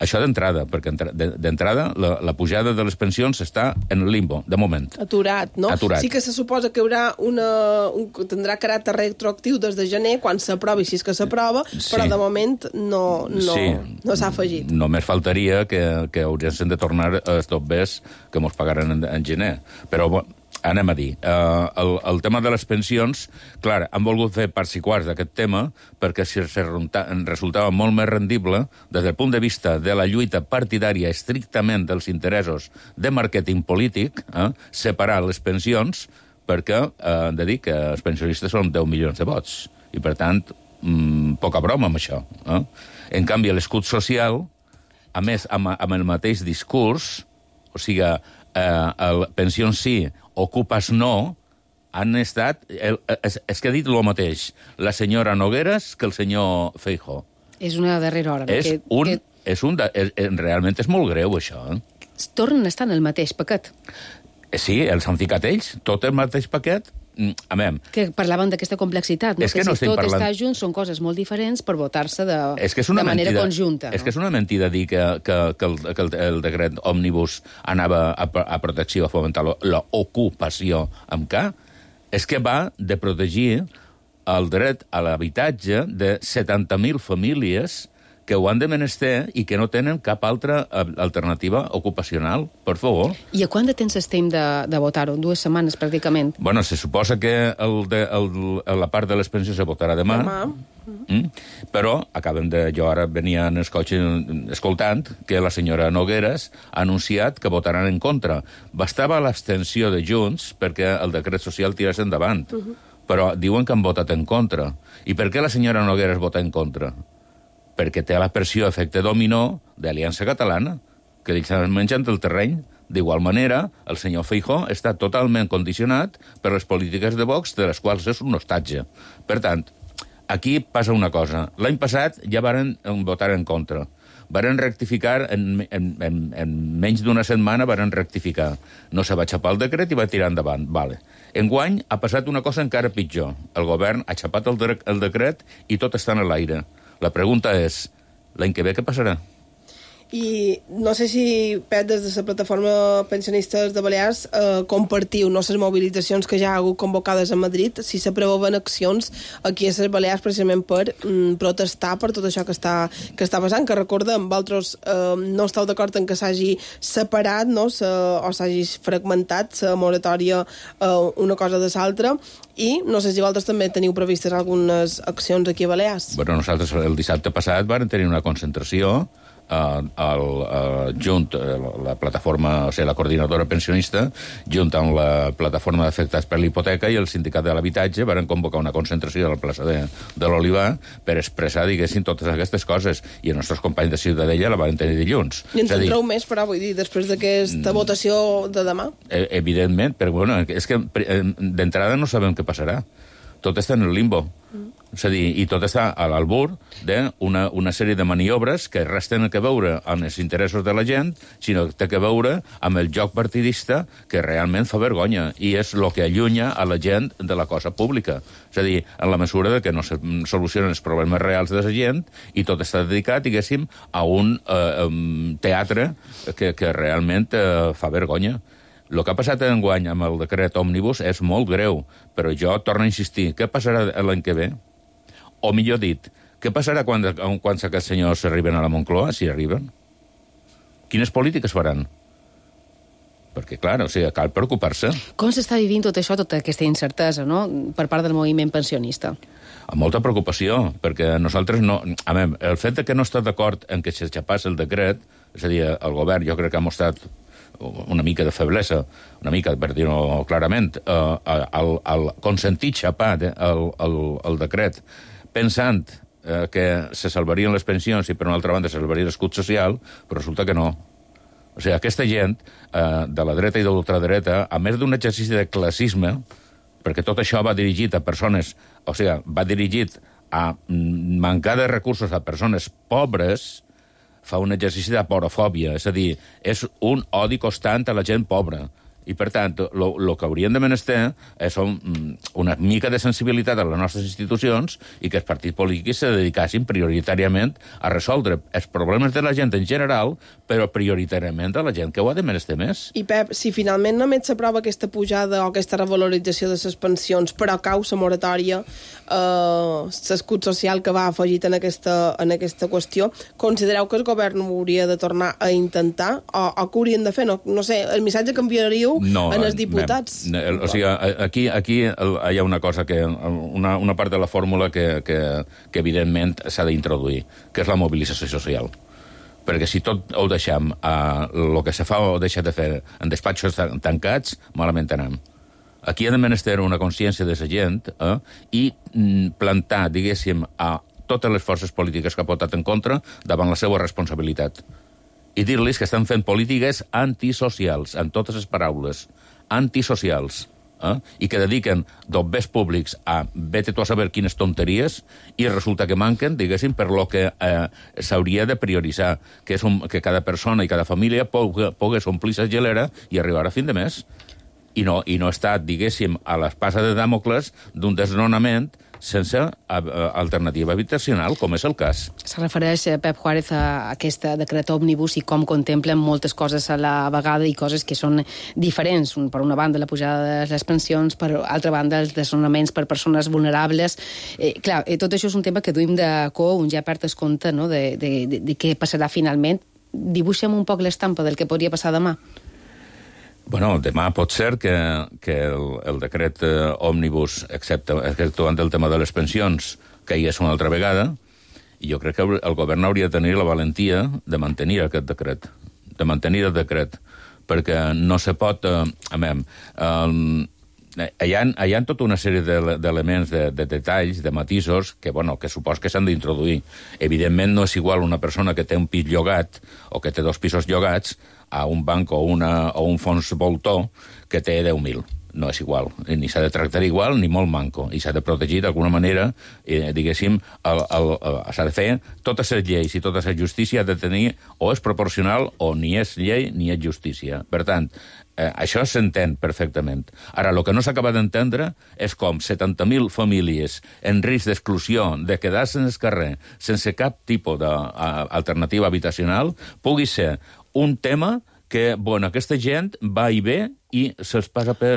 Això d'entrada, perquè d'entrada la, la pujada de les pensions està en el limbo, de moment. Aturat, no? Aturat. Sí que se suposa que haurà una, un, tindrà caràcter retroactiu des de gener, quan s'aprovi, si és que s'aprova, sí. Però de moment no, no, sí. no s'ha afegit. Només faltaria que, que haurien de tornar els dobbers que mos pagaran en, en gener. Però anem a dir, uh, el, el tema de les pensions, clar, han volgut fer parts i quarts d'aquest tema perquè si resultava molt més rendible des del punt de vista de la lluita partidària estrictament dels interessos de màrqueting polític, eh, separar les pensions perquè eh, han de dir que els pensionistes són deu milions de vots i, per tant, mmm, poca broma amb això. Eh? En canvi, l'escut social, a més, amb, amb el mateix discurs, o sigui, eh, el pensions sí, ocupes no, han estat... El, és, és que ha dit el mateix la senyora Nogueras que el senyor Feijóo. És una darrera hora. És que, un... que... És un de, és, realment és molt greu, això. Eh? Tornen a estar en el mateix paquet. Sí, els han ficat ells, tot el mateix paquet. Amem. Que parlaven d'aquesta complexitat, no? És que, que no si tot parlant... està junt són coses molt diferents per votar-se de, és que és una de manera mentida, conjunta. És no? que és una mentida dir que, que, que, el, que el, el decret òmnibus anava a, a protecció, a fomentar l'ocupació amb K. És que va de protegir el dret a l'habitatge de setanta mil famílies que ho han de menester i que no tenen cap altra alternativa ocupacional, per favor. I a quant de temps estem de, de votar-ho? Dues setmanes, pràcticament. Bueno, se suposa que el de, el, la part de les pensions se votarà demà. Demà. Mm? Però acabem de... Jo ara venia en el cotxe escoltant que la senyora Nogueras ha anunciat que votaran en contra. Bastava l'abstenció de Junts perquè el decret social tirés endavant. Uh -huh. Però diuen que han votat en contra. I per què la senyora Nogueras vota en contra? Perquè té la pressió efecte dominó d'Aliança Catalana, que li estan menjant el terreny. D'igual manera, el senyor Feijóo està totalment condicionat per les polítiques de Vox, de les quals és un hostatge. Per tant, aquí passa una cosa. L'any passat ja varen votar en contra. Varen rectificar, en, en, en, en menys d'una setmana varen rectificar. No se va xapar el decret i va tirar endavant. Vale. Enguany ha passat una cosa encara pitjor. El govern ha xapat el, de, el decret i tot està en l'aire. La pregunta és, l'any que ve què passarà? I no sé si, Pep, des de la plataforma pensionistes de Balears eh, compartiu no les mobilitzacions que ja ha hagut convocades a Madrid, si s'aproven accions aquí a les Balears precisament per mm, protestar per tot això que està, que està passant, que recordem, vosaltres eh, no esteu d'acord en que s'hagi separat, no, o s'hagi fragmentat la moratòria eh, una cosa de l'altra, i no sé si vosaltres també teniu previstes algunes accions aquí a Balears. Bueno, nosaltres el dissabte passat vam tenir una concentració Uh, el, uh, junt uh, la plataforma, o sigui, la coordinadora pensionista, junt amb la plataforma d'afectats per l'hipoteca i el sindicat de l'habitatge van convocar una concentració a la plaça de, de l'Olivar per expressar, diguéssim, totes aquestes coses. I els nostres companys de Ciutadella la van tenir dilluns. I en tindreu dir... més, però, vull dir, després d'aquesta mm, votació de demà? Evidentment, però bueno, és que d'entrada no sabem què passarà. Tot està en el limbo. Mm. És a dir, i tot està a l'albur d'una una sèrie de maniobres que res tenen que veure amb els interessos de la gent, sinó que té que veure amb el joc partidista que realment fa vergonya, i és el que allunya a la gent de la cosa pública. És a dir, en la mesura de que no se solucionen els problemes reals de la gent i tot està dedicat, diguéssim, a un eh, um, teatre que, que realment eh, fa vergonya. El que ha passat enguany amb el decret òmnibus és molt greu, però jo torno a insistir, què passarà l'any que ve? O millor dit, què passarà quan, quan aquests senyors arriben a la Moncloa, si arriben? Quines polítiques faran? Perquè, clar, o sigui, cal preocupar-se. Com s'està vivint tot això, tota aquesta incertesa, no?, per part del moviment pensionista? Amb molta preocupació, perquè nosaltres no... A veure, el fet de que no està d'acord en que s'aixapàs el decret, és a dir, el govern jo crec que ha mostrat una mica de feblesa, una mica, per dir-ho clarament, eh, el, el consentir xapar el, el, el decret pensant eh, que se salvarien les pensions i per una altra banda se salvaria l'escut social, però resulta que no. O sigui, aquesta gent eh, de la dreta i de l'ultradreta, a més d'un exercici de classisme, perquè tot això va dirigit a persones, o sigui, va dirigit a mancar de recursos a persones pobres, fa un exercici d'aporofòbia, és a dir, és un odi constant a la gent pobra. I, per tant, el que haurien de menester és una mica de sensibilitat a les nostres institucions i que els partits polítics se dedicassin prioritàriament a resoldre els problemes de la gent en general, però prioritàriament a la gent que ho ha de menester més. I, Pep, si finalment només s'aprova aquesta pujada o aquesta revalorització de les pensions, però cau la moratòria, eh, l'escut social que va afegit en aquesta, en aquesta qüestió, considereu que el govern ho hauria de tornar a intentar o, o que haurien de fer? No, no sé, el missatge que enviaríeu no, en els diputats. No, o sigui, aquí, aquí hi ha una cosa que... Una, una part de la fórmula que, que, que evidentment s'ha d'introduir, que és la mobilització social. Perquè si tot ho deixem a el que se fa o deixa de fer en despatxos tancats, malament anem. Aquí ha de menester una consciència de la gent eh, i plantar, diguéssim, a totes les forces polítiques que ha votat en contra davant la seva responsabilitat. I dir-los que estan fent polítiques antisocials, en totes les paraules, antisocials, eh? I que dediquen dobbers públics a vete tu a saber quines tonteries i resulta que manquen, diguéssim, per lo que eh, s'hauria de prioritzar, que és un, que cada persona i cada família pogués omplir la gelera i arribar a fin de mes. I no, i no estar, diguéssim, a l'espasa de Dàmocles d'un desnonament sense alternativa habitacional, com és el cas. Se refereix, Pep Juárez, a aquest decret òmnibus i com contemplen moltes coses a la vegada i coses que són diferents. Per una banda, la pujada de les pensions, per altra banda, els desnonaments per persones vulnerables. Eh, clar, eh, tot això és un tema que duim de co, un ja perd el compte, no?, de, de, de, de què passarà finalment. Dibuixem un poc l'estampa del que podria passar demà. Bueno, demà pot ser que, que el, el decret eh, òmnibus, excepte exceptuant el tema de les pensions, caigués una altra vegada, i jo crec que el govern hauria de tenir la valentia de mantenir aquest decret, de mantenir el decret, perquè no se pot... Eh, a veure, eh, hi ha, hi ha tota una sèrie d'elements, de, de detalls, de matisos, que, bueno, que supos que s'han d'introduir. Evidentment no és igual una persona que té un pis llogat o que té dos pisos llogats a un banc o, una, o un fons voltor que té deu mil. No és igual. Ni s'ha de tractar igual ni molt manco. I s'ha de protegir d'alguna manera, eh, diguéssim, s'ha de fer totes les lleis i tota la justícia ha de tenir o és proporcional o ni és llei ni és justícia. Per tant, eh, això s'entén perfectament. Ara, el que no s'acaba d'entendre és com setanta mil famílies en risc d'exclusió, de quedar-se en el carrer sense cap tipus d'alternativa habitacional, pugui ser un tema que, bueno, aquesta gent va i ve i se'ls passa per,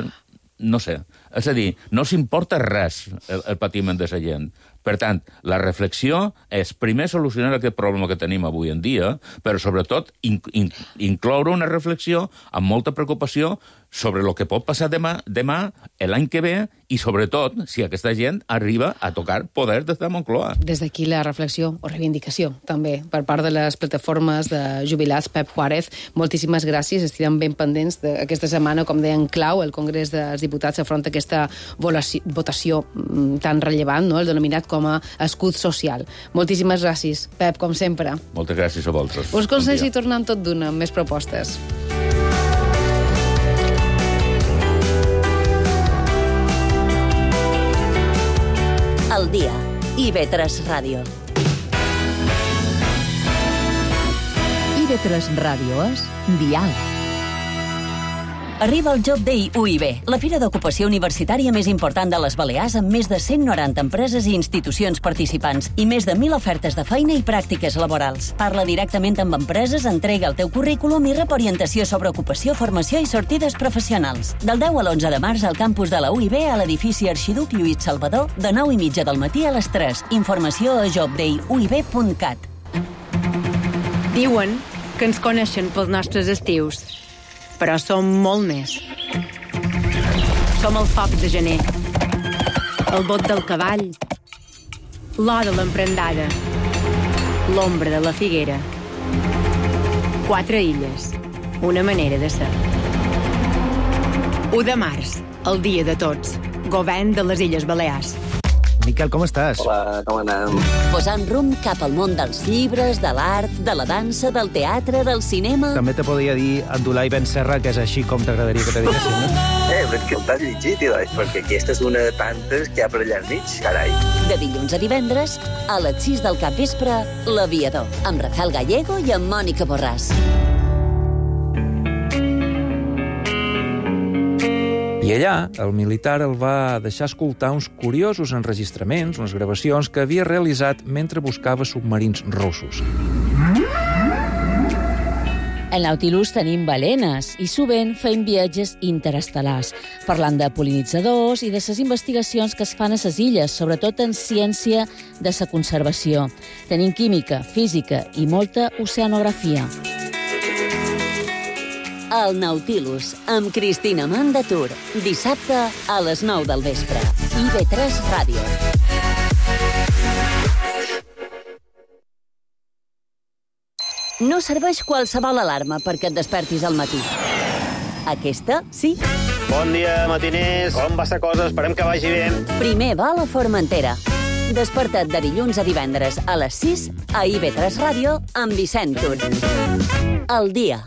no sé, És a dir, no s'importa res el, el patiment de la gent. Per tant, la reflexió és primer solucionar aquest problema que tenim avui en dia, però sobretot in, in, incloure una reflexió amb molta preocupació sobre el que pot passar demà, demà l'any que ve, i sobretot si aquesta gent arriba a tocar poder des de Moncloa. Des d'aquí la reflexió o reivindicació, també, per part de les plataformes de jubilats. Pep Juárez, moltíssimes gràcies. Estirem ben pendents d'aquesta setmana, com deia en clau, el Congrés dels Diputats afronta aquesta votació tan rellevant, no? El denominat com a escut social. Moltíssimes gràcies, Pep, com sempre. Moltes gràcies a vosaltres. Us consells i tornem tot d'una amb més propostes. El dia. I ve tres Ràdio. I ve tres Ràdio és Dial. Arriba el Job Day U I B, la fira d'ocupació universitària més important de les Balears, amb més de cent noranta empreses i institucions participants i més de mil ofertes de feina i pràctiques laborals. Parla directament amb empreses, entrega el teu currículum i rep orientació sobre ocupació, formació i sortides professionals. Del deu a l'onze de març al campus de la U I B a l'edifici Arxiduc Lluís Salvador, de nou i mitja del matí a les tres. Informació a job day u i b punt cat. Diuen que ens coneixen pels nostres estius, però som molt més. Som el foc de gener, el bot del cavall, l'or de l'emprendada, l'ombra de la figuera. Quatre illes, una manera de ser. u de març, el dia de tots, govern de les Illes Balears. Miquel, com estàs? Hola, com anem? Posant rumb cap al món dels llibres, de l'art, de la dansa, del teatre, del cinema... També te podria dir Abdulai Ben Serra, que és així com t'agradaria que te diguessin, no? Eh, però que t'has llegit, Ilai, perquè aquesta és una de tantes que hi ha per allà al mig, carai. De dilluns a divendres, a les sis del capvespre, L'Aviador, amb Rafael Gallego i amb Mònica Borràs. I allà, el militar el va deixar escoltar uns curiosos enregistraments, unes gravacions que havia realitzat mentre buscava submarins russos. Al Nautilus tenim balenes i sovint fem viatges interestel·lars, parlant de pol·linitzadors i de les investigacions que es fan a les illes, sobretot en ciència de la conservació. Tenim química, física i molta oceanografia. El Nautilus, amb Cristina Mandatur, dissabte a les nou del vespre. I ve tres Ràdio. No serveix qualsevol alarma perquè et despertis al matí. Aquesta, sí. Bon dia, matiners. Com va la cosa? Esperem que vagi bé. Primer va a la Formentera. Desperta't de dilluns a divendres a les sis a I ve tres Ràdio amb Vicent Tur. El dia.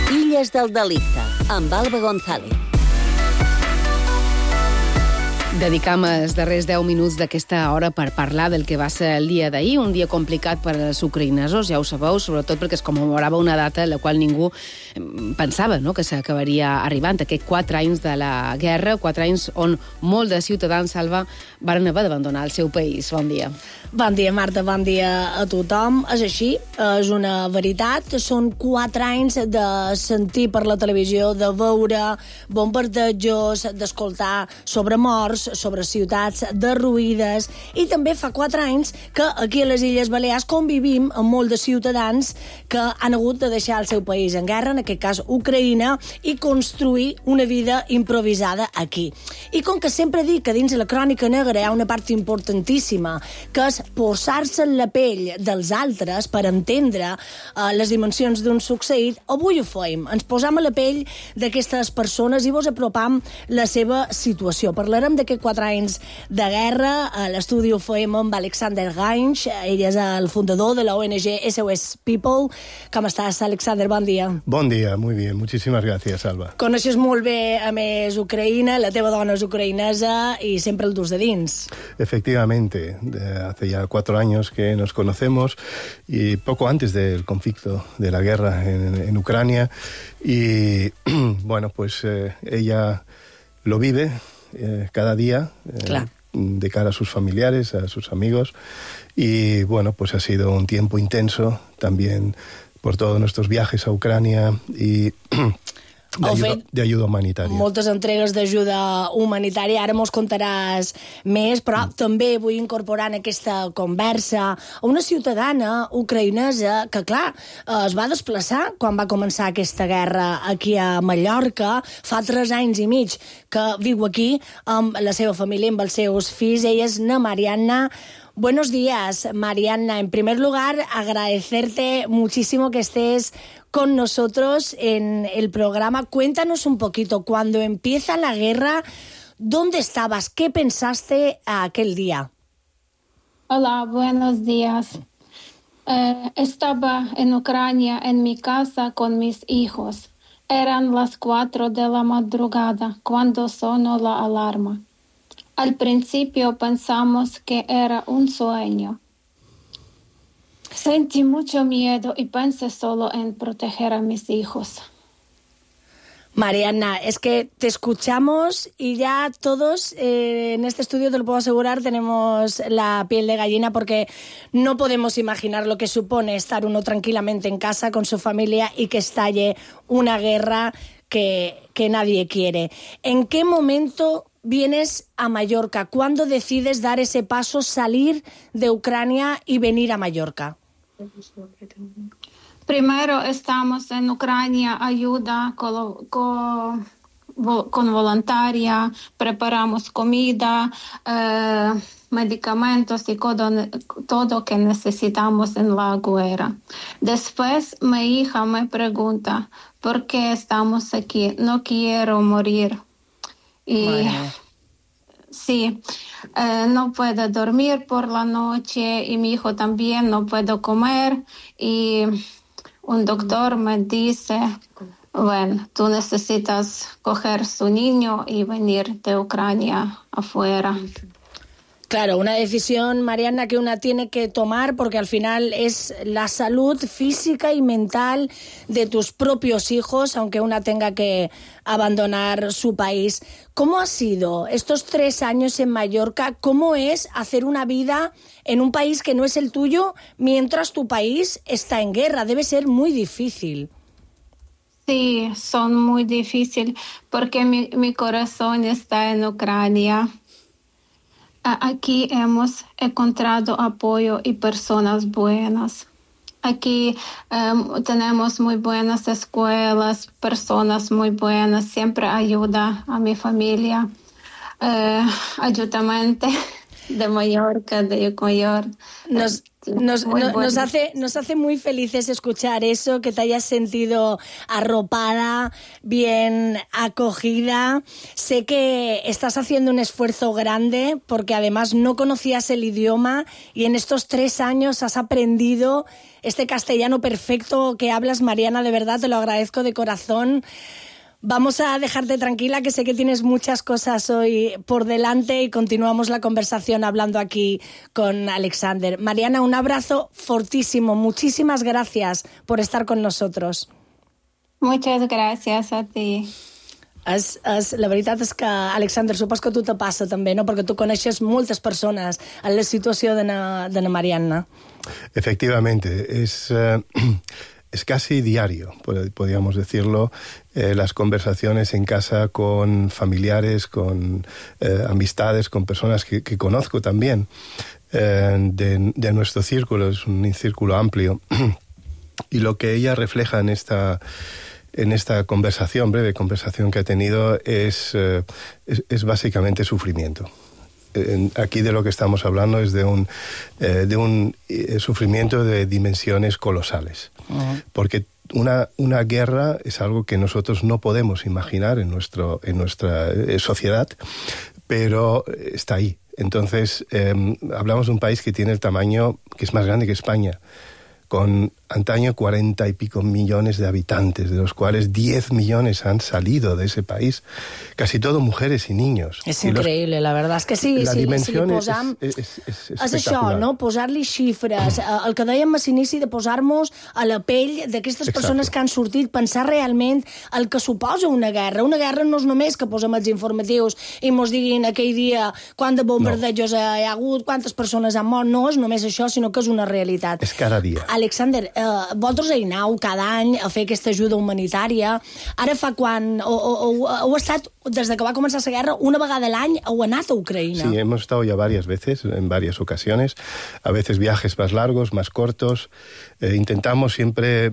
Illes del Delicte, amb Alba González. Dedicam els darrers deu minuts d'aquesta hora per parlar del que va ser el dia d'ahir, un dia complicat per als ucraïnesos, ja ho sabeu, sobretot perquè es commemorava una data en la qual ningú pensava, no?, que s'acabaria arribant. Aquests quatre anys de la guerra, quatre anys on molt de ciutadans, Salva, van haver d'abandonar el seu país. Bon dia. Bon dia, Marta, bon dia a tothom. És així, és una veritat. Són quatre anys de sentir per la televisió, de veure bombardejos, d'escoltar sobre morts, sobre ciutats derruïdes, i també fa quatre anys que aquí a les Illes Balears convivim amb molts de ciutadans que han hagut de deixar el seu país en guerra, en aquest cas Ucraïna, i construir una vida improvisada aquí. I com que sempre dic que dins de la crònica negra hi ha una part importantíssima, que és posar-se en la pell dels altres per entendre uh, les dimensions d'un succeït, avui ho fem. Ens posam a la pell d'aquestes persones i vos apropam la seva situació. Parlarem d'aquest quatre anys de guerra. A l'estudi ho fem amb Alexander Gainch. Ell és el fundador de la O N G S O S People. Com estàs, Alexander? Bon dia. Bon dia, muy bien. Muchísimas gracias, Alba. Coneixes molt bé, a més, Ucraïna. La teva dona és ucraïnesa i sempre el dus de dins. Efectivamente. De hace ya cuatro años que nos conocemos y poco antes del conflicto de la guerra en, en Ucrania. Y, bueno, pues eh, ella lo vive Eh, cada día eh, de cara a sus familiares, a sus amigos, y bueno, pues ha sido un tiempo intenso también por todos nuestros viajes a Ucrania y de ayuda, de ayuda humanitaria. Moltes entregues d'ajuda humanitària, ara mos contaràs més, però mm. també vull incorporar en aquesta conversa una ciutadana ucraïnesa que, clar, es va desplaçar quan va començar aquesta guerra aquí a Mallorca, fa tres anys i mig que viu aquí amb la seva família, amb els seus fills. Ella és na Marianna. Buenos días, Marianna. En primer lugar, agradecerte muchísimo que estés con nosotros en el programa. Cuéntanos un poquito, cuando empieza la guerra, ¿dónde estabas? ¿Qué pensaste aquel día? Hola, buenos días. Eh, estaba en Ucrania, en mi casa, con mis hijos. Eran las cuatro de la madrugada cuando sonó la alarma. Al principio pensamos que era un sueño. Sentí mucho miedo y pensé solo en proteger a mis hijos. Marianna, es que te escuchamos y ya todos eh, en este estudio, te lo puedo asegurar, tenemos la piel de gallina porque no podemos imaginar lo que supone estar uno tranquilamente en casa con su familia y que estalle una guerra que, que nadie quiere. ¿En qué momento vienes a Mallorca? ¿Cuándo decides dar ese paso, salir de Ucrania y venir a Mallorca? Primero estamos en Ucrania, ayuda con, con, con voluntaria, preparamos comida, eh, medicamentos y todo, todo que necesitamos en la guerra. Después mi hija me pregunta, ¿por qué estamos aquí? No quiero morir. Y bueno. Sí, eh, no puedo dormir por la noche y mi hijo también no puede comer y un doctor me dice, bueno, tú necesitas coger su niño y venir de Ucrania afuera. Claro, una decisión, Marianna, que una tiene que tomar porque al final es la salud física y mental de tus propios hijos, aunque una tenga que abandonar su país. ¿Cómo ha sido estos tres años en Mallorca? ¿Cómo es hacer una vida en un país que no es el tuyo mientras tu país está en guerra? Debe ser muy difícil. Sí, son muy difíciles porque mi, mi corazón está en Ucrania. Aquí hemos encontrado apoyo y personas buenas. Aquí um, tenemos muy buenas escuelas, personas muy buenas, siempre ayuda a mi familia, uh, ayudamente de Mallorca, de Ecuador. Nos, nos, no, nos, hace, nos hace muy felices escuchar eso, que te hayas sentido arropada, bien acogida. Sé que estás haciendo un esfuerzo grande porque además no conocías el idioma y en estos tres años has aprendido este castellano perfecto que hablas, Marianna, de verdad, te lo agradezco de corazón. Vamos a dejarte tranquila, que sé que tienes muchas cosas hoy por delante y continuamos la conversación hablando aquí con Alexander. Marianna, un abrazo fortísimo. Muchísimas gracias por estar con nosotros. Muchas gracias a ti. Es, es, la veritat és que, Alexander, supos que a tu te passa també, no? Perquè tu coneixes moltes persones en la situació de na, de na Marianna. Efectivamente, es... Uh... Es casi diario, podríamos decirlo, eh, las conversaciones en casa con familiares, con eh, amistades, con personas que, que conozco también eh, de, de nuestro círculo, es un círculo amplio. Y lo que ella refleja en esta, en esta conversación, breve conversación que ha tenido, es, eh, es, es básicamente sufrimiento. Aquí de lo que estamos hablando es de un, eh, de un eh, sufrimiento de dimensiones colosales. Uh-huh. Porque una, una guerra es algo que nosotros no podemos imaginar en, nuestro, en nuestra eh, sociedad, pero está ahí. Entonces, eh, hablamos de un país que tiene el tamaño, que es más grande que España, con antaño cuarenta y pico millones de habitantes, de los cuales diez millones han salido de ese país, casi todo mujeres y niños. És I increïble, los, la verdad. És que sí, la sí, dimensió si li posam... és, és, és, és és això, no? Posar-li xifres. El que dèiem a l'inici de posar-nos a la pell d'aquestes persones que han sortit, pensar realment el que suposa una guerra. Una guerra no és només que posem els informatius i mos diguin aquell dia quant de bombardejos no. hi ha hagut, quantes persones han mort. No és només això, sinó que és una realitat. És cada dia. Alexander, eh, vosaltres hi aneu cada any a fer aquesta ajuda humanitària. Ara fa quan... O, o, o, heu estat, des de que va començar la guerra, una vegada a l'any heu anat a Ucraïna. Sí, hemos estado ya varias veces, en varias ocasiones, a veces viajes más largos, más cortos. Eh, intentamos siempre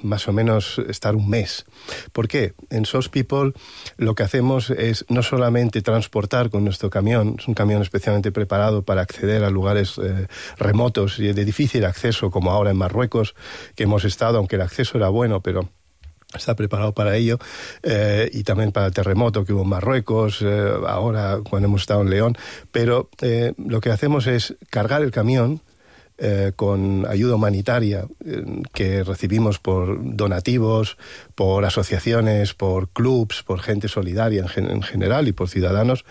más o menos estar un mes. ¿Por qué? En S O S People lo que hacemos es no solamente transportar con nuestro camión, es un camión especialmente preparado para acceder a lugares eh, remotos y de difícil acceso, como ahora en Marruecos, que hemos estado, aunque el acceso era bueno, pero está preparado para ello, eh, y también para el terremoto que hubo en Marruecos, eh, ahora cuando hemos estado en León, pero eh, lo que hacemos es cargar el camión Eh, con ayuda humanitaria eh, que recibimos por donativos, por asociaciones, por clubs, por gente solidaria en, gen en general y por ciudadanos,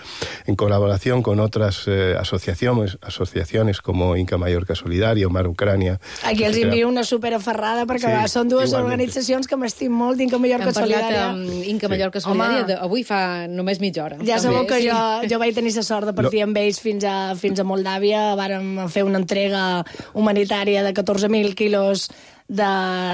en colaboración con otras eh, asociaciones, asociaciones como Inca Mallorca Solidaria o Mar Ucrània. Aquí els envio una superaferrada perquè sí, són dues igualment. Organitzacions que m'estim molt d'Inca Mallorca Solidària. Hem parlat amb Inca Mallorca sí. Solidària de, avui fa només mitja hora. Ja sabeu que sí. jo, jo vaig tenir la sort de partir Lo... amb ells fins a, fins a Moldàvia. Vàrem fer una entrega humanitària de catorze mil quilos de,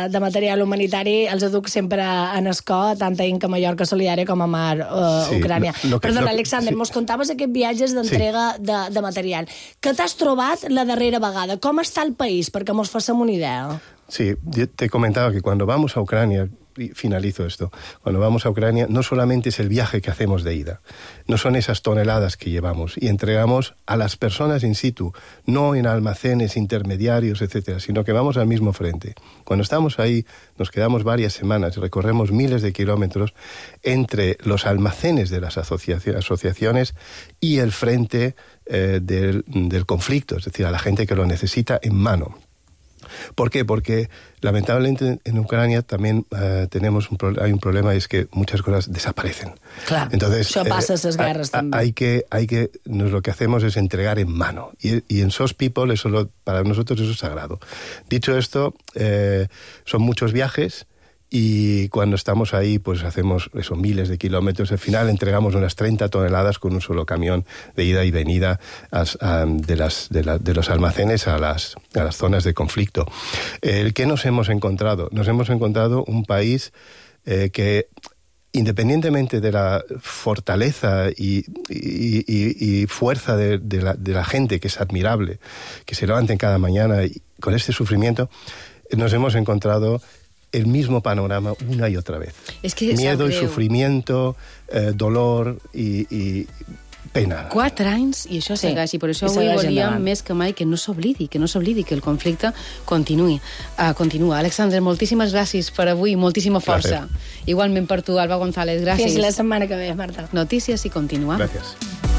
de material humanitari. Els educ sempre en escó, tant a Inca Mallorca Solidària com a Mar uh, sí, Ucrània. Lo, lo que, Perdona, lo, Alexander, sí. mos contaves aquests viatges d'entrega sí. de, de material. Què t'has trobat la darrera vegada? Com està el país? Perquè mos fassem una idea. Sí, te comentaba que cuando vamos a Ucrania, y finalizo esto, cuando vamos a Ucrania no solamente es el viaje que hacemos de ida, no son esas toneladas que llevamos y entregamos a las personas in situ, no en almacenes intermediarios, etcétera, sino que vamos al mismo frente. Cuando estamos ahí nos quedamos varias semanas y recorremos miles de kilómetros entre los almacenes de las asociaciones y el frente eh, del, del conflicto, es decir, a la gente que lo necesita en mano. ¿Por qué? Porque lamentablemente en Ucrania también uh, tenemos un hay un problema, es que muchas cosas desaparecen. Claro, entonces eso pasa esas eh, guerras a, también. Hay que, hay que, nos, lo que hacemos es entregar en mano y, y en S O S People eso lo, para nosotros eso es sagrado. Dicho esto, eh, son muchos viajes. Y cuando estamos ahí, pues hacemos eso, miles de kilómetros. Al final entregamos unas treinta toneladas con un solo camión de ida y venida a, a, de, las, de, la, de los almacenes a las, a las zonas de conflicto. Eh, ¿Qué nos hemos encontrado? Nos hemos encontrado un país eh, que, independientemente de la fortaleza y, y, y, y fuerza de, de, la, de la gente, que es admirable, que se levanten cada mañana y, con este sufrimiento, nos hemos encontrado el mismo panorama una y otra vez. Es que miedo y sufrimiento, eh, dolor y, y pena. Quatre anys i això sí. segueix, i per això I avui volíem més que mai que no s'oblidi, que no s'oblidi, que el conflicte continuï. Uh, continua. Alexander, moltíssimes gràcies per avui, moltíssima força. Gràcies. Igualment per tu, Alba González, gràcies. Fins la setmana que ve, Marta. Notícies i continua. Gràcies.